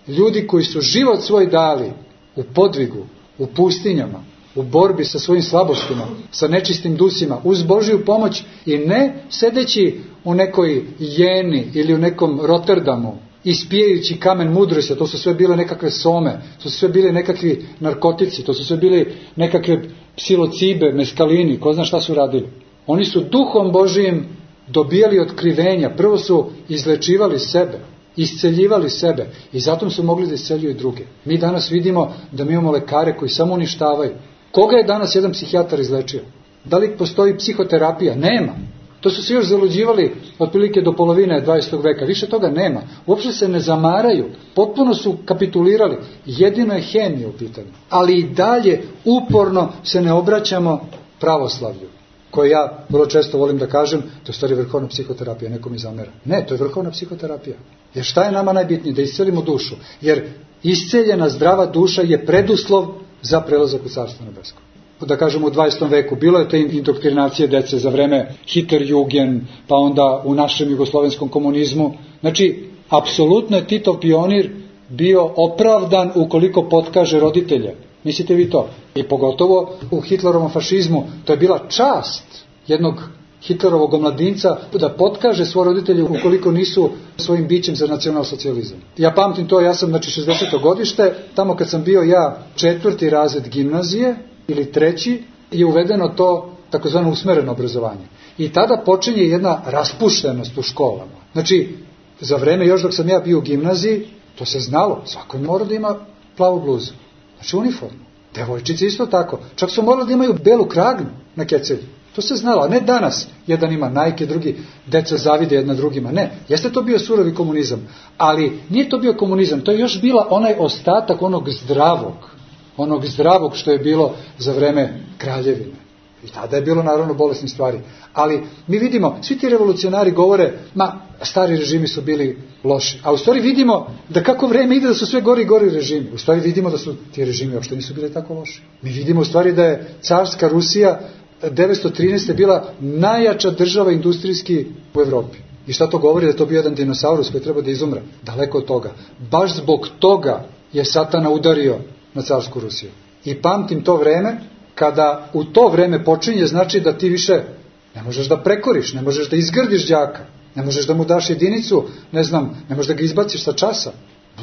ljudi koji su život svoj dali u podvigu, u pustinjama, u borbi sa svojim slabostima, sa nečistim dusima, uz Božiju pomoć i ne sedeći u nekoj Jeni ili u nekom Rotterdamu, ispijajući kamen mudrosti, to su sve bile nekakve some, to su sve bile nekakvi narkotici, to su sve bile nekakve psilocibe, meskalini, ko zna šta su radili. Oni su duhom Božijim dobijali otkrivenja, prvo su izlečivali sebe, isceljivali sebe i zato su mogli da isceljuju druge. Mi danas vidimo da mi imamo lekare koji samo uništavaju. Koga je danas jedan psihijatar izlečio? Da li postoji psihoterapija? Nema. To su se još zaluđivali otprilike do polovine 20. veka. Više toga nema. Uopšte se ne zamaraju. Potpuno su kapitulirali. Jedino je hemija u pitanju. Ali i dalje uporno se ne obraćamo pravoslavlju, koje ja vrlo često volim da kažem, to je stvari vrhovna psihoterapija, neko mi zamera. Ne, to je vrhovna psihoterapija. Jer šta je nama najbitnije? Da iscelimo dušu. Jer isceljena zdrava duša je preduslov za prelazak u Carstvo nebesko. Da kažemo u 20. veku, bilo je te indoktrinacije dece za vreme Hitlerjugend, pa onda u našem jugoslovenskom komunizmu. Znači, apsolutno je Titov pionir bio opravdan ukoliko potkaže roditelje. Mislite vi to? I pogotovo u Hitlerovom fašizmu, to je bila čast jednog Hitlerovog omladinca da potkaže svoje roditelje ukoliko nisu svojim bićem za nacionalsocijalizam. Ja pamtim to, ja sam 60. godište, tamo kad sam bio ja 4. razred gimnazije ili 3. je uvedeno to takozvano usmereno obrazovanje. I tada počinje jedna raspuštenost u školama. Znači, za vreme još dok sam ja bio u gimnaziji, to se znalo, svako mora da ima plavu bluzu. Znači uniformu. Devojčice isto tako. Čak su morali da imaju belu kragnu na kecelju. To se znalo, a ne danas. Jedan ima Nike, drugi deca zavide jedna drugima. Ne, jeste to bio surovi komunizam, ali nije to bio komunizam, to je još bila onaj ostatak onog zdravog što je bilo za vreme kraljevine. I tada je bilo naravno bolesnih stvari. Ali mi vidimo, svi ti revolucionari govore, stari režimi su bili loši. A u stvari vidimo da kako vreme ide da su sve gori i gori režimi. U stvari vidimo da su ti režimi uopšte nisu bili tako loši. Mi vidimo u stvari da je carska Rusija 1913. bila najjača država industrijski u Evropi. I šta to govori? Da je to bio jedan dinosaurus koji treba da izumre. Daleko od toga. Baš zbog toga je Satana udario na carsku Rusiju. I pamtim to vreme, kada u to vreme počinje, znači da ti više ne možeš da prekoriš, ne možeš da izgrdiš đaka, ne možeš da mu daš jedinicu, ne možeš da ga izbaciš sa časa.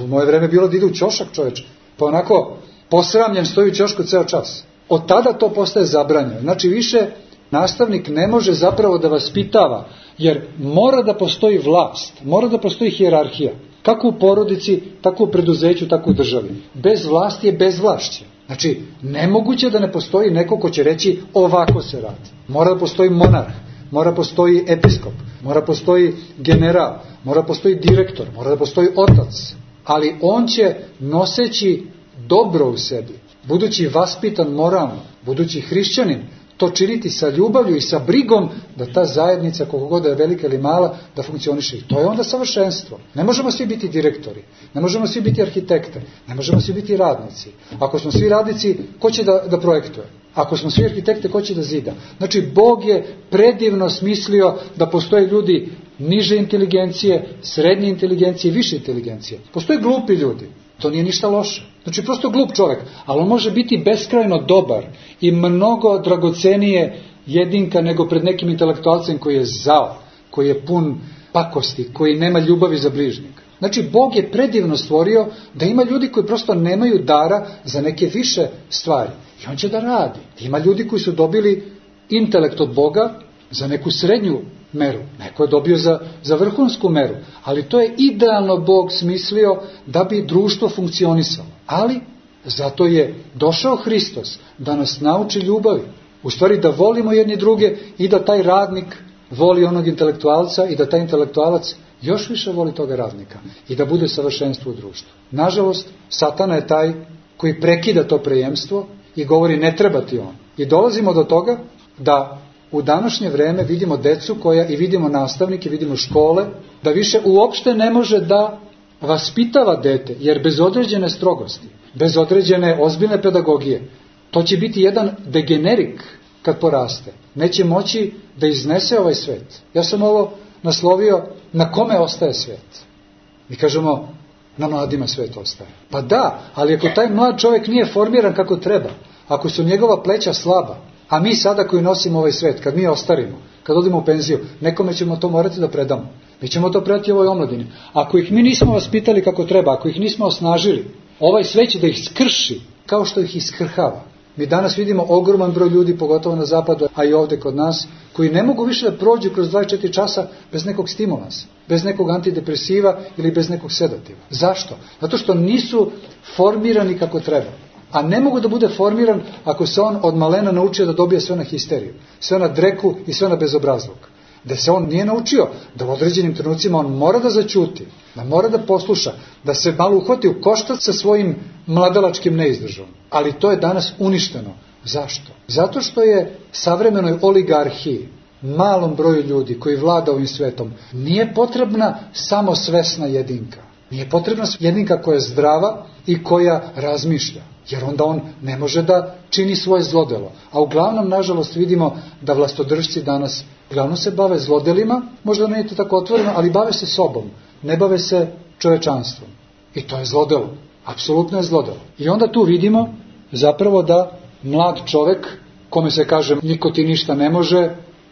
U moje vreme bilo da ide u ćošak čoveč, pa onako posramljen stoji u ćošku ceo čas. Od tada to postaje zabranjeno. Znači više nastavnik ne može zapravo da vaspitava, jer mora da postoji vlast, mora da postoji hijerarhija. Kako u porodici, tako u preduzeću, tako u državi. Bez vlasti je bezvlašće. Znači, nemoguće da ne postoji neko ko će reći ovako se radi. Mora da postoji monarh, mora da postoji episkop, mora da postoji general, mora da postoji direktor, mora da postoji otac. Ali on će, noseći dobro u sebi, budući vaspitan moralno, budući hrišćanin, to činiti sa ljubavlju i sa brigom da ta zajednica, koliko god je velika ili mala, da funkcioniše. I to je onda savršenstvo. Ne možemo svi biti direktori, ne možemo svi biti arhitekte, ne možemo svi biti radnici. Ako smo svi radnici, ko će da projektuje? Ako smo svi arhitekte, ko će da zida? Znači, Bog je predivno smislio da postoje ljudi niže inteligencije, srednje inteligencije i više inteligencije. Postoje glupi ljudi. To nije ništa loše. Znači, prosto glup čovjek, ali on može biti beskrajno dobar i mnogo dragocenije jedinka nego pred nekim intelektualcem koji je zao, koji je pun pakosti, koji nema ljubavi za bližnjeg. Znači, Bog je predivno stvorio da ima ljudi koji prosto nemaju dara za neke više stvari. I on će da radi. Ima ljudi koji su dobili intelekt od Boga za neku srednju meru. Neko je dobio za vrhunsku meru. Ali to je idealno Bog smislio da bi društvo funkcionisalo. Ali zato je došao Hristos da nas nauči ljubavi. U stvari da volimo jedni druge i da taj radnik voli onog intelektualca i da taj intelektualac još više voli toga radnika i da bude savršenstvo u društvu. Nažalost, Satana je taj koji prekida to prejemstvo i govori ne treba ti on. I dolazimo do toga da u današnje vreme vidimo decu i vidimo nastavnike, vidimo škole, da više uopšte ne može da vaspitava dete, jer bez određene strogosti, bez određene ozbiljne pedagogije, to će biti jedan degenerik kad poraste. Neće moći da iznese ovaj svet. Ja sam ovo naslovio na kome ostaje svet. Mi kažemo na mladima svet ostaje. Pa da, ali ako taj mlad čovjek nije formiran kako treba, ako su njegova pleća slaba, a mi sada koji nosimo ovaj svet, kad mi ostarimo, kad odimo u penziju, nekome ćemo to morati da predamo. Mi ćemo to predati ovoj omladini. Ako ih mi nismo vaspitali kako treba, ako ih nismo osnažili, ovaj svet će da ih skrši kao što ih iskrhava. Mi danas vidimo ogroman broj ljudi, pogotovo na zapadu, a i ovdje kod nas, koji ne mogu više da prođu kroz 24 časa bez nekog stimulansa, bez nekog antidepresiva ili bez nekog sedativa. Zašto? Zato što nisu formirani kako treba. A ne mogu da bude formiran ako se on od malena naučio da dobije sve na histeriju, sve na dreku i sve na bezobrazluk. Da se on nije naučio da u određenim trenucima on mora da zaćuti, da mora da posluša, da se malo uhvati u koštac sa svojim mladalačkim neizdržom. Ali to je danas uništeno. Zašto? Zato što je savremenoj oligarhiji, malom broju ljudi koji vlada ovim svetom, nije potrebna samo svesna jedinka. Nije potrebna jedinka koja je zdrava i koja razmišlja. Jer onda on ne može da čini svoje zlodelo. A uglavnom, nažalost, vidimo da vlastodržci danas uglavnom se bave zlodelima, možda nije to tako otvoreno, ali bave se sobom, ne bave se čovečanstvom. I to je zlodelo. Apsolutno je zlodelo. I onda tu vidimo zapravo da mlad čovek, kome se kaže niko ti ništa ne može,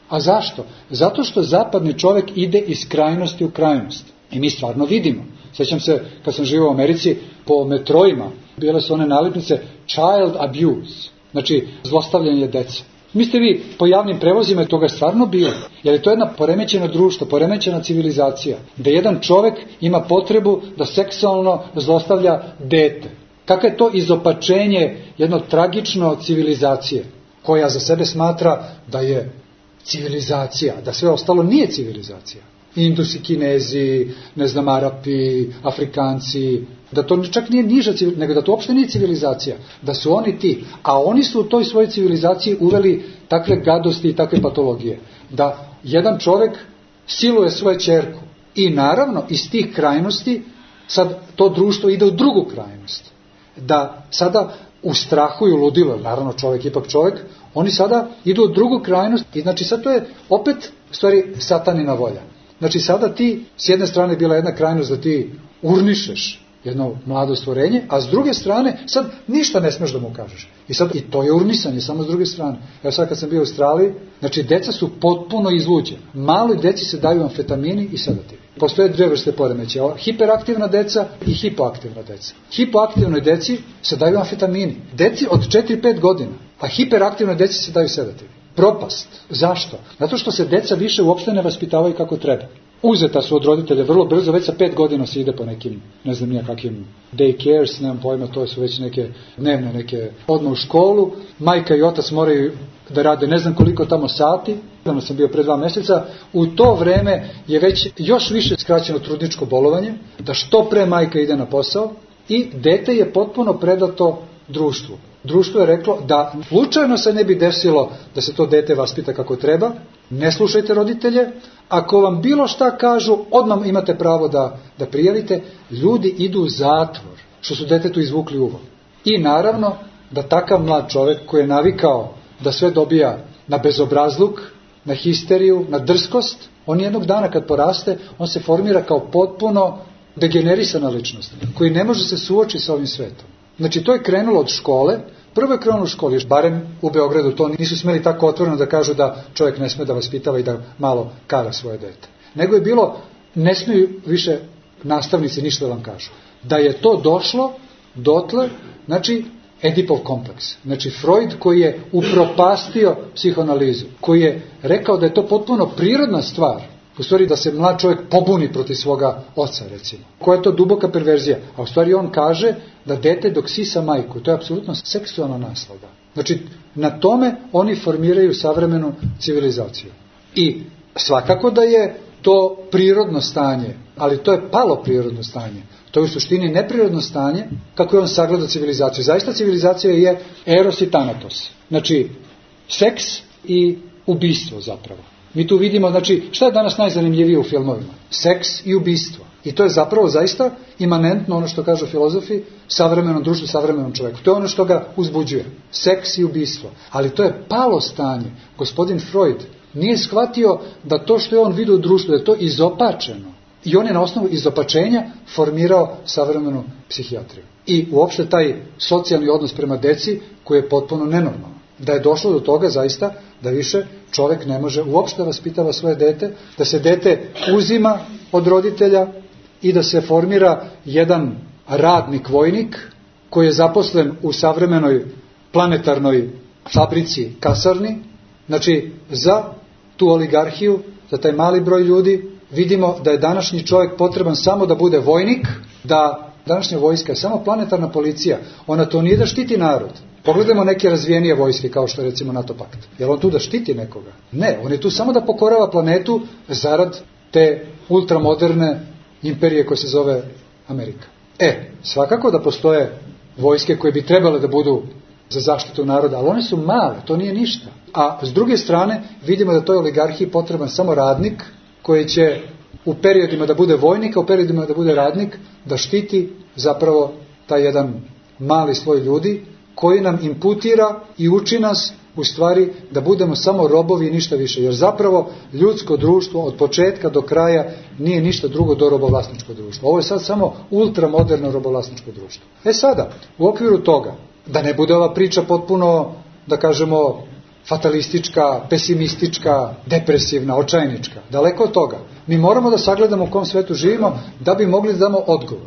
a zašto? Zato što zapadni čovek ide iz krajnosti u krajnost. I mi stvarno vidimo. Sjećam se kad sam živio u Americi, po metrojima bile su one nalepnice child abuse, znači zlostavljanje dece. Mislite vi, po javnim prevozima je toga stvarno bilo, jer je to jedna poremećena društvo, poremećena civilizacija, da jedan čovek ima potrebu da seksualno zlostavlja dete. Kako je to izopačenje jedno tragično civilizacije, koja za sebe smatra da je civilizacija, da sve ostalo nije civilizacija. Indusi, Kinezi, ne znam, Arapi, Afrikanci, da to čak nije niža civilizacija, nego da to uopšte nije civilizacija, da su oni ti, a oni su u toj svojoj civilizaciji uveli takve gadosti i takve patologije, da jedan čovjek siluje svoju ćerku i naravno iz tih krajnosti sad to društvo ide u drugu krajnost, da sada u strahu i u ludilu, naravno čovjek ipak čovjek, oni sada idu u drugu krajnost i znači sad to je opet u stvari satanina volja. Znači sada ti, s jedne strane bila jedna krajnost da ti urnišeš jedno mlado stvorenje, a s druge strane sad ništa ne smeš da mu kažeš. I to je urnisanje, samo s druge strane. Evo sad kad sam bio u Australiji, znači deca su potpuno izluđena. Maloj deci se daju amfetamini i sedativi. Postoje dvije vrste poremećaja, hiperaktivna deca i hipoaktivna deca. Hipoaktivnoj deci se daju amfetamini. Deci od 4-5 godina, a hiperaktivnoj deci se daju sedativi. Propast. Zašto? Zato što se deca više uopšte ne vaspitavaju kako treba. Uzeta su od roditelja vrlo brzo, već sa 5 godina se ide po nekim, ne znam nija kakvim daycares, nemam pojma, to su već neke dnevne, neke odmah u školu. Majka i otac moraju da rade ne znam koliko tamo sati, ono sam bio pre 2 mjeseca, u to vreme je već još više skraćeno trudničko bolovanje, da što pre majka ide na posao i dete je potpuno predato društvu. Društvo je reklo da slučajno se ne bi desilo da se to dete vaspita kako treba, ne slušajte roditelje, ako vam bilo šta kažu, odmah imate pravo da prijavite, ljudi idu u zatvor, što su detetu izvukli uvo. I naravno da takav mlad čovjek koji je navikao da sve dobija na bezobrazluk, na histeriju, na drskost, on jednog dana kad poraste, on se formira kao potpuno degenerisana ličnost, koji ne može se suočiti sa ovim svetom. Znači to je krenulo od škole, prvo je krenulo u školi, barem u Beogradu to nisu smjeli tako otvoreno da kažu da čovjek ne smije da vaspitava i da malo kara svoje dete. Nego je bilo, ne smiju više nastavnici ništa da vam kažu. Da je to došlo dotle, znači Edipov kompleks. Znači Freud koji je upropastio psihoanalizu, koji je rekao da je to potpuno prirodna stvar, u stvari da se mlad čovjek pobuni protiv svoga oca, recimo. Koja je to duboka perverzija? A u stvari on kaže da dete dok sisa majku, to je apsolutno seksualna naslada. Znači, na tome oni formiraju savremenu civilizaciju. I svakako da je to prirodno stanje, ali to je palo prirodno stanje. To je u suštini neprirodno stanje kako je on sagledao civilizaciju. Zaista civilizacija je eros i thanatos. Znači, seks i ubistvo zapravo. Mi tu vidimo, znači, šta je danas najzanimljivije u filmovima? Seks i ubistvo. I to je zapravo zaista imanentno ono što kažu filozofi savremenom društvu, savremenom čovjeku. To je ono što ga uzbuđuje. Seks i ubistvo. Ali to je palo stanje. Gospodin Freud nije shvatio da to što je on vidio u društvu, da je to izopačeno. I on je na osnovu izopačenja formirao savremenu psihijatriju. I uopšte taj socijalni odnos prema deci koji je potpuno nenormalan. Da je došlo do toga zaista da više čovjek ne može uopšte vaspitava svoje dete, da se dete uzima od roditelja i da se formira jedan radnik vojnik koji je zaposlen u savremenoj planetarnoj fabrici kasarni, znači za tu oligarhiju, za taj mali broj ljudi. Vidimo da je današnji čovjek potreban samo da bude vojnik, da današnja vojska je samo planetarna policija, ona to nije da štiti narod. Pogledajmo neke razvijenije vojske kao što je recimo NATO pakt. Je li on tu da štiti nekoga? Ne, on je tu samo da pokorava planetu zarad te ultramoderne imperije koja se zove Amerika. Svakako da postoje vojske koje bi trebale da budu za zaštitu naroda, ali one su male, to nije ništa. A s druge strane vidimo da toj oligarhiji potreban samo radnik koji će u periodima da bude vojnik, a u periodima da bude radnik, da štiti zapravo taj jedan mali sloj ljudi koji nam imputira i uči nas u stvari da budemo samo robovi i ništa više. Jer zapravo ljudsko društvo od početka do kraja nije ništa drugo do robovlasničko društvo. Ovo je sad samo ultramoderno robovlasničko društvo. Sada, u okviru toga, da ne bude ova priča potpuno, da kažemo, fatalistička, pesimistička, depresivna, očajnička. Daleko od toga. Mi moramo da sagledamo u kom svetu živimo da bi mogli da damo odgovor.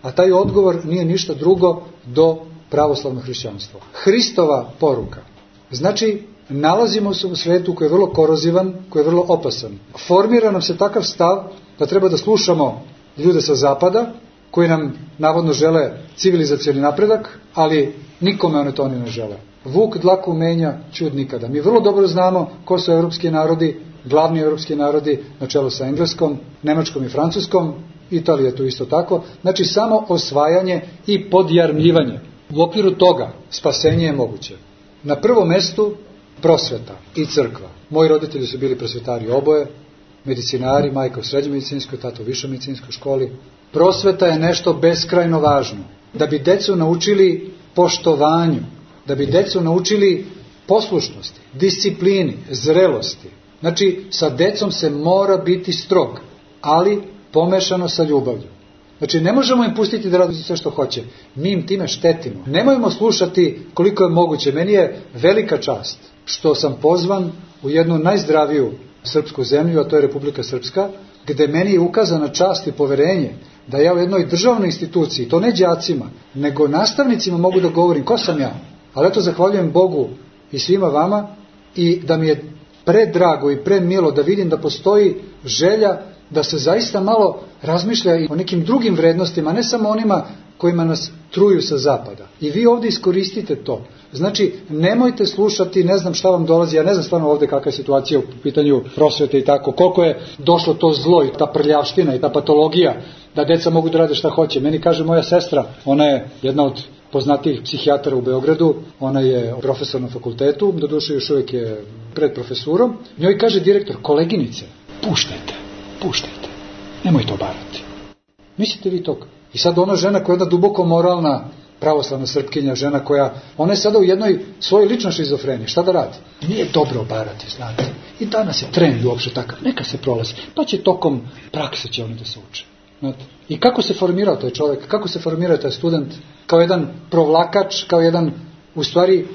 A taj odgovor nije ništa drugo do pravoslavno hrišćanstvo. Hristova poruka. Znači, nalazimo se u svetu koji je vrlo korozivan, koji je vrlo opasan. Formira nam se takav stav da treba da slušamo ljude sa zapada, koji nam navodno žele civilizacioni napredak, ali nikome one to ne žele. Vuk dlaku menja, ćud nikada. Mi vrlo dobro znamo ko su evropski narodi, glavni evropski narodi, na čelu sa Engleskom, Nemačkom i Francuskom, Italija je tu isto tako. Znači samo osvajanje i podjarmljivanje. U okviru toga spasenje je moguće. Na prvom mestu prosveta i crkva. Moji roditelji su bili prosvetari oboje, medicinari, majka u srednjoj medicinskoj, tata u višoj medicinskoj školi. Prosveta je nešto beskrajno važno. Da bi decu naučili poštovanju, da bi decu naučili poslušnosti, disciplini, zrelosti. Znači, sa decom se mora biti strog, ali pomešano sa ljubavlju. Znači, ne možemo im pustiti da rade sve što hoće. Mi im time štetimo. Nemojmo slušati koliko je moguće. Meni je velika čast što sam pozvan u jednu najzdraviju srpsku zemlju, a to je Republika Srpska, gde meni je ukazana čast i poverenje da ja u jednoj državnoj instituciji, to ne đacima, nego nastavnicima mogu da govorim ko sam ja. Ali eto, zahvaljujem Bogu i svima vama i da mi je predrago i premilo da vidim da postoji želja da se zaista malo razmišlja i o nekim drugim vrednostima, ne samo onima kojima nas truju sa zapada. I vi ovdje iskoristite to. Znači, nemojte slušati, ne znam šta vam dolazi, ja ne znam stvarno ovdje kakva je situacija u pitanju prosvete i tako, koliko je došlo to zlo i ta prljavština i ta patologija, da deca mogu da rade šta hoće. Meni kaže moja sestra, ona je jedna od poznatijih psihijatara u Beogradu, ona je profesor na fakultetu, doduše još uvijek je pred profesurom, njoj kaže direktor, koleginice, puštajte, nemojte obarati. Mislite vi toga? I sad ona žena koja je jedna duboko moralna, pravoslavna Srpkinja, žena koja, ona je sada u jednoj svojoj ličnoj šizofreniji. Šta da radi? Nije dobro obarati, znate. I danas je trend uopšte takav. Neka se prolazi. Pa će tokom prakse će oni da se uče. Znate. I kako se formirao taj čovjek? Kako se formirao taj student? Kao jedan provlakač, kao jedan, u stvari,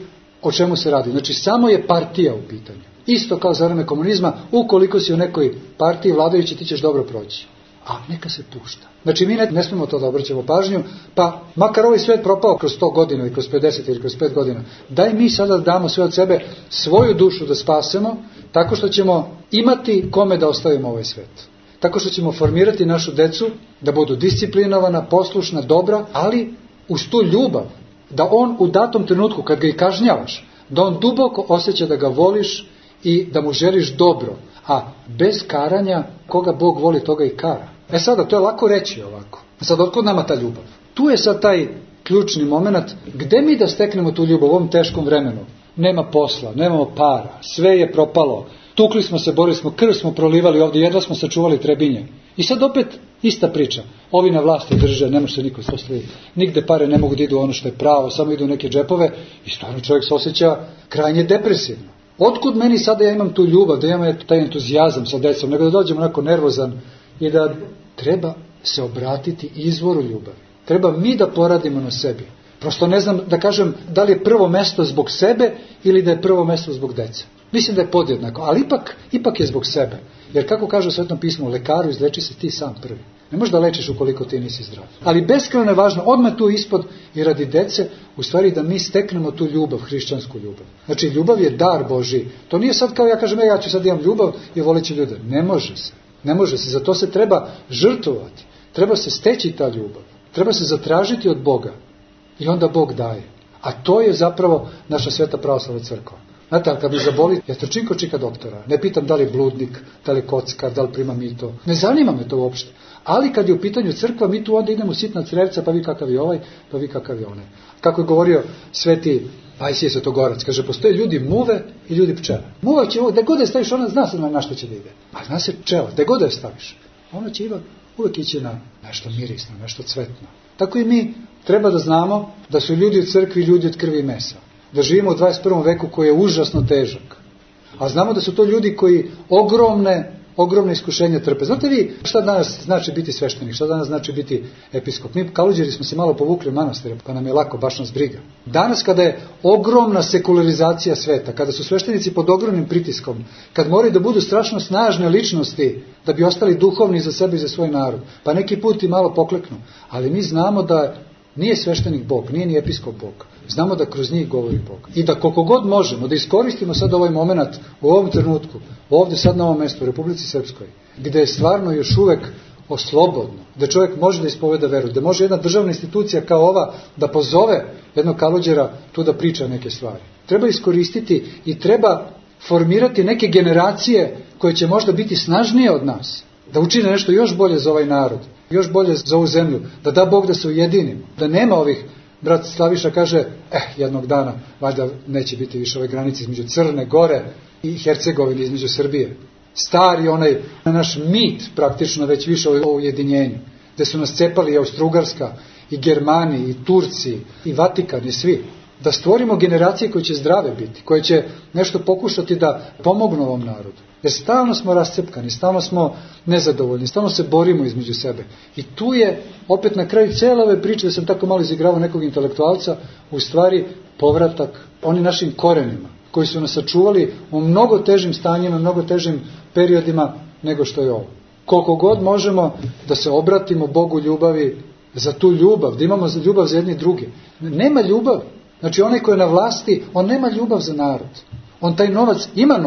o čemu se radi? Znači, samo je partija u pitanju. Isto kao za vreme komunizma, ukoliko si u nekoj partiji vladajući, ti ćeš dobro proći. A neka se pušta. Znači, mi ne smemo to da obraćamo pažnju, pa makar ovaj svijet propao kroz 100 godina ili kroz 50 ili kroz 5 godina, daj mi sada damo sve od sebe, svoju dušu da spasemo, tako što ćemo imati kome da ostavimo ovaj svijet. Tako što ćemo formirati našu decu da budu disciplinovana, poslušna, dobra, ali uz tu ljubav, da on u datom trenutku, kad ga i kažnjavaš, da on duboko osjeća da ga voliš i da mu želiš dobro. A bez karanja, koga Bog voli, toga i kara. E sada, to je lako reći ovako. Sad, otkud nama ta ljubav? Tu je sad taj ključni moment, gde mi da steknemo tu ljubav u ovom teškom vremenu? Nema posla, nemamo para, sve je propalo, tukli smo se, borili smo, krv smo prolivali ovdje, jedva smo sačuvali Trebinje. I sad opet ista priča. Ovi na vlasti drže, ne može se niko postaviti. Nigde pare ne mogu da idu ono što je pravo, samo idu u neke džepove i stvarno čovjek se osjeća krajnje depresivno. Otkud meni sada ja imam tu ljubav, da imam taj entuzijazam sa decom, nego da dođem onako nervozan i da treba se obratiti izvoru ljubavi. Treba mi da poradimo na sebi. Prosto ne znam da kažem da li je prvo mesto zbog sebe ili da je prvo mesto zbog dece. Mislim da je podjednako, ali ipak je zbog sebe. Jer kako kaže u Svetom pismu, lekaru izleči se ti sam prvi. Ne možeš da lečiš ukoliko ti nisi zdrav. Ali beskrajno je važno, odmah tu ispod i radi dece, u stvari da mi steknemo tu ljubav, hrišćansku ljubav. Znači, ljubav je dar Božji. To nije sad kao ja kažem, ja ću sad imam ljubav i volit ću ljude. Ne može se. Zato se treba žrtvovati. Treba se steći ta ljubav. Treba se zatražiti od Boga. I onda Bog daje. A to je zapravo naša sveta pravoslavna crkva. Znate, ali kad mi zaboli, ja trčim kod čika doktora. Ne pitam da li je bludnik, da li je kockar, da li prima mito. Ne zanima me to uopšte. Ali kad je u pitanju crkva, mi tu onda idemo sitna crevca, pa vi kakav je ovaj, pa vi kakav je onaj. Kako je govorio sveti Pajsije Svetogorac, kaže, postoje ljudi muve i ljudi pčela. Muva će ovo, da god je staviš, ona zna se na što će da ide. A zna se pčela, da god je staviš. Ona će uvek ići na nešto mirisno, nešto cvetno. Tako i mi treba da znamo da su ljudi u crkvi ljudi od krvi i mesa. Da živimo u 21. veku koji je užasno težak. A znamo da su to ljudi koji ogromne iskušenja trpe. Znate vi šta danas znači biti sveštenik, šta danas znači biti episkop? Mi Kaluđeri smo se malo povukli u manastire, pa nam je lako, baš nas briga. Danas kada je ogromna sekularizacija sveta, kada su sveštenici pod ogromnim pritiskom, kad moraju da budu strašno snažne ličnosti da bi ostali duhovni za sebe i za svoj narod, pa neki put i malo pokleknu. Ali mi znamo da nije sveštenik Bog, nije ni episkop Bog. Znamo da kroz njih govori Bog. I da koliko god možemo da iskoristimo sad ovaj moment u ovom trenutku, ovdje sad na ovom mjestu u Republici Srpskoj, gdje je stvarno još uvek slobodno, da čovjek može da ispoveda veru, da može jedna državna institucija kao ova da pozove jednog Kalođera tu da priča neke stvari. Treba iskoristiti i treba formirati neke generacije koje će možda biti snažnije od nas, da učine nešto još bolje za ovaj narod, još bolje za ovu zemlju, da da Bog da se ujedinimo, da nema ovih, brat Slaviša kaže, jednog dana valjda neće biti više ove granice između Crne Gore i Hercegovine, između Srbije. Stari onaj naš mit praktično već više o ujedinjenju, gde su nas cepali i Austrougarska, i Germani, i Turci, i Vatikan, i svi. Da stvorimo generacije koje će zdrave biti, koje će nešto pokušati da pomognu ovom narodu. Jer stalno smo rascepkani, stalno smo nezadovoljni, stalno se borimo između sebe. I tu je, opet na kraju cijele ove priče, da sam tako malo izigravao nekog intelektualca, u stvari povratak onim našim korenima, koji su nas sačuvali u mnogo težim stanjima, mnogo težim periodima nego što je ovo. Koliko god možemo da se obratimo Bogu ljubavi, za tu ljubav, da imamo ljubav za jedni druge. Nema ljubav. Znači onaj koji je na vlasti, on nema ljubav za narod. On taj novac, ima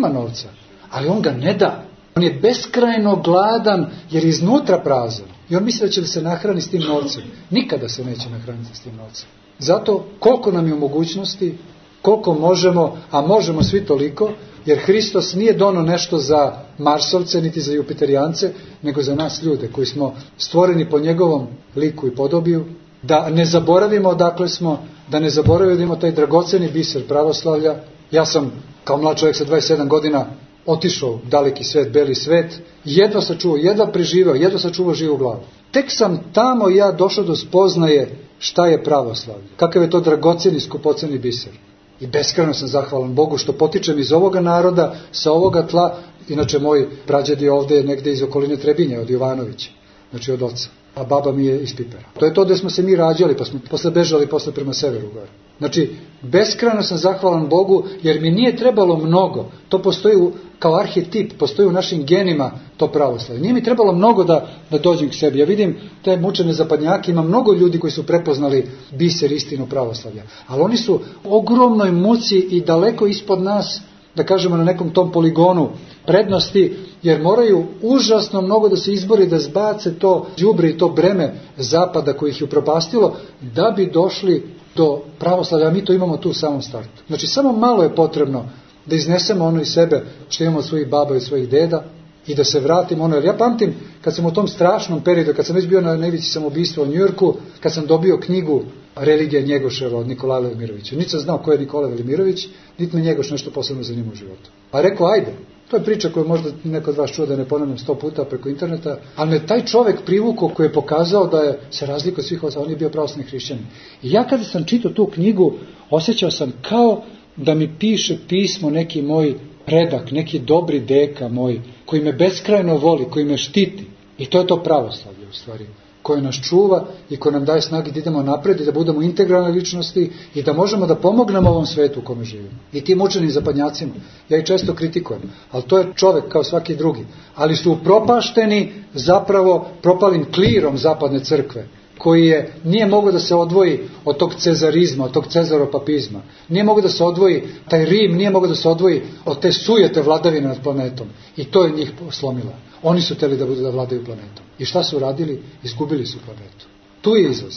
novca, ali on ga ne da. On je beskrajno gladan jer je iznutra prazan. I on misli da će se nahraniti s tim novcem. Nikada se neće nahraniti s tim novcem. Zato koliko nam je u mogućnosti, koliko možemo, a možemo svi toliko, jer Hristos nije donio nešto za Marsovce, niti za Jupiterijance, nego za nas ljude koji smo stvoreni po njegovom liku i podobiju, da ne zaboravimo odakle smo, da ne zaboravimo taj dragoceni biser pravoslavlja. Ja sam kao mlad čovjek sa 27 godina otišao u daleki svet, beli svet, jedva sačuvao, jedva preživao, jedva sačuvao živu glavu. Tek sam tamo ja došao do spoznaje šta je pravoslavlje, kakav je to dragoceni, skupoceni biser. I beskrajno sam zahvalan Bogu što potičem iz ovoga naroda, sa ovoga tla. Inače moj prađed je ovdje negdje iz okoline Trebinja, od Jovanovića, znači od oca. A baba mi je iz Pipera. To je to gdje smo se mi rađali, pa smo posle bežali prema severu gore. Znači, beskrajno sam zahvalan Bogu, jer mi nije trebalo mnogo. To postoji kao arhetip, postoji u našim genima to pravoslavlje. Nije mi trebalo mnogo da dođem k sebi. Ja vidim te mučene zapadnjake, ima mnogo ljudi koji su prepoznali biser, istinu pravoslavlja. Ali oni su u ogromnoj muci i daleko ispod nas, da kažemo na nekom tom poligonu prednosti, jer moraju užasno mnogo da se izbori, da zbace to đubre i to breme zapada koji ih je upropastilo, da bi došli do pravoslavlja, a mi to imamo tu u samom startu. Znači, samo malo je potrebno da iznesemo ono iz sebe što imamo od svojih baba i od svojih deda i da se vratimo ono. Jer ja pamtim, kad sam u tom strašnom periodu, kad sam već bio na nevici samoubistva u Njujorku, kad sam dobio knjigu Religija Njegoševa od Nikolaja Velimirovića. Niti sam znao ko je Nikola Velimirović, niti me Njegoš nešto posebno zanima u životu. Pa rekao, ajde. To je priča koju možda neko od vas čuo, da ne ponavljam 100 puta preko interneta, ali me taj čovjek privukao koji je pokazao da se razlikuje od svih ostalih, on je bio pravoslavni hrišćanin. I ja kada sam čitao tu knjigu, osjećao sam kao da mi piše pismo neki moj predak, neki dobri deka moj, koji me beskrajno voli, koji me štiti. I to je to pravoslavlje u stvari, koje nas čuva i koje nam daje snage da idemo napred i da budemo integralne ličnosti i da možemo da pomognemo ovom svetu u kome živimo. I tim učenim zapadnjacima, ja ih često kritikujem, ali to je čovjek kao svaki drugi. Ali su upropašteni zapravo propalim klirom zapadne crkve, koji nije mogao da se odvoji od tog cezarizma, od tog cezaropapizma. Nije mogao da se odvoji, taj Rim nije mogao da se odvoji od te sujete vladavine nad planetom. I to je njih slomilo. Oni su hteli da vladaju planetom. I šta su radili? Izgubili su planetu. Tu je izlaz.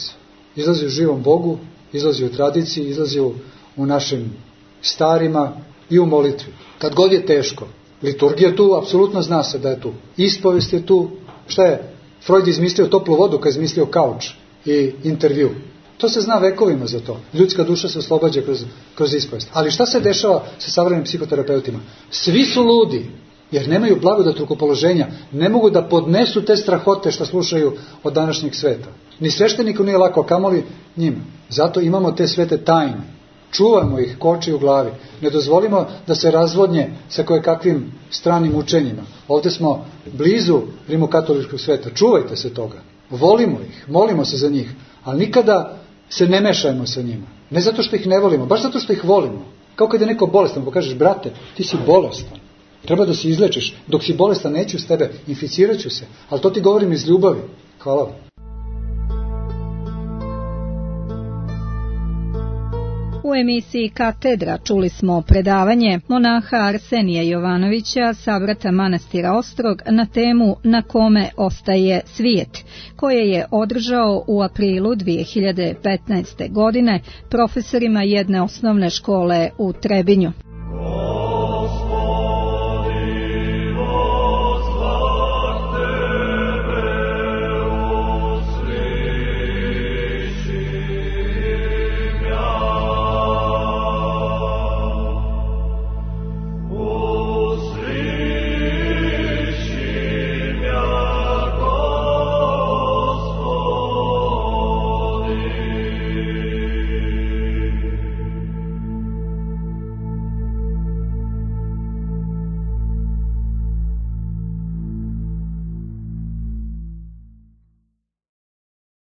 Izlazi u živom Bogu, izlazi u tradiciji, izlazi u našim starima i u molitvi. Kad god je teško, liturgija je tu, apsolutno zna se da je tu. Ispovest je tu. Šta je? Freud izmislio toplu vodu kad je izmislio kauč i intervju. To se zna vekovima za to. Ljudska duša se oslobađa kroz ispovest. Ali šta se dešava sa savremenim psihoterapeutima? Svi su ludi, jer nemaju blagodat rukopoloženja, ne mogu da podnesu te strahote što slušaju od današnjeg sveta. Ni svešteniku nije lako, kamoli njima. Zato imamo te svete tajne. Čuvamo ih ko oči u glavi. Ne dozvolimo da se razvodnje sa kojekakvim stranim učenjima. Ovdje smo blizu rimokatoličkog sveta. Čuvajte se toga. Volimo ih, molimo se za njih, ali nikada se ne mešajmo sa njima. Ne zato što ih ne volimo, baš zato što ih volimo. Kao kad je neko bolestan, pa kažeš, brate, ti si bolestan. Treba da se izlečiš. Dok si bolestan, neću s tebe, inficirat ću se. Ali to ti govorim iz ljubavi. Hvala vam. U U emisiji Katedra čuli smo predavanje monaha Arsenija Jovanovića, sabrata manastira Ostrog, na temu Na kome ostaje svijet, koje je održao u aprilu 2015. godine profesorima jedne osnovne škole u Trebinju.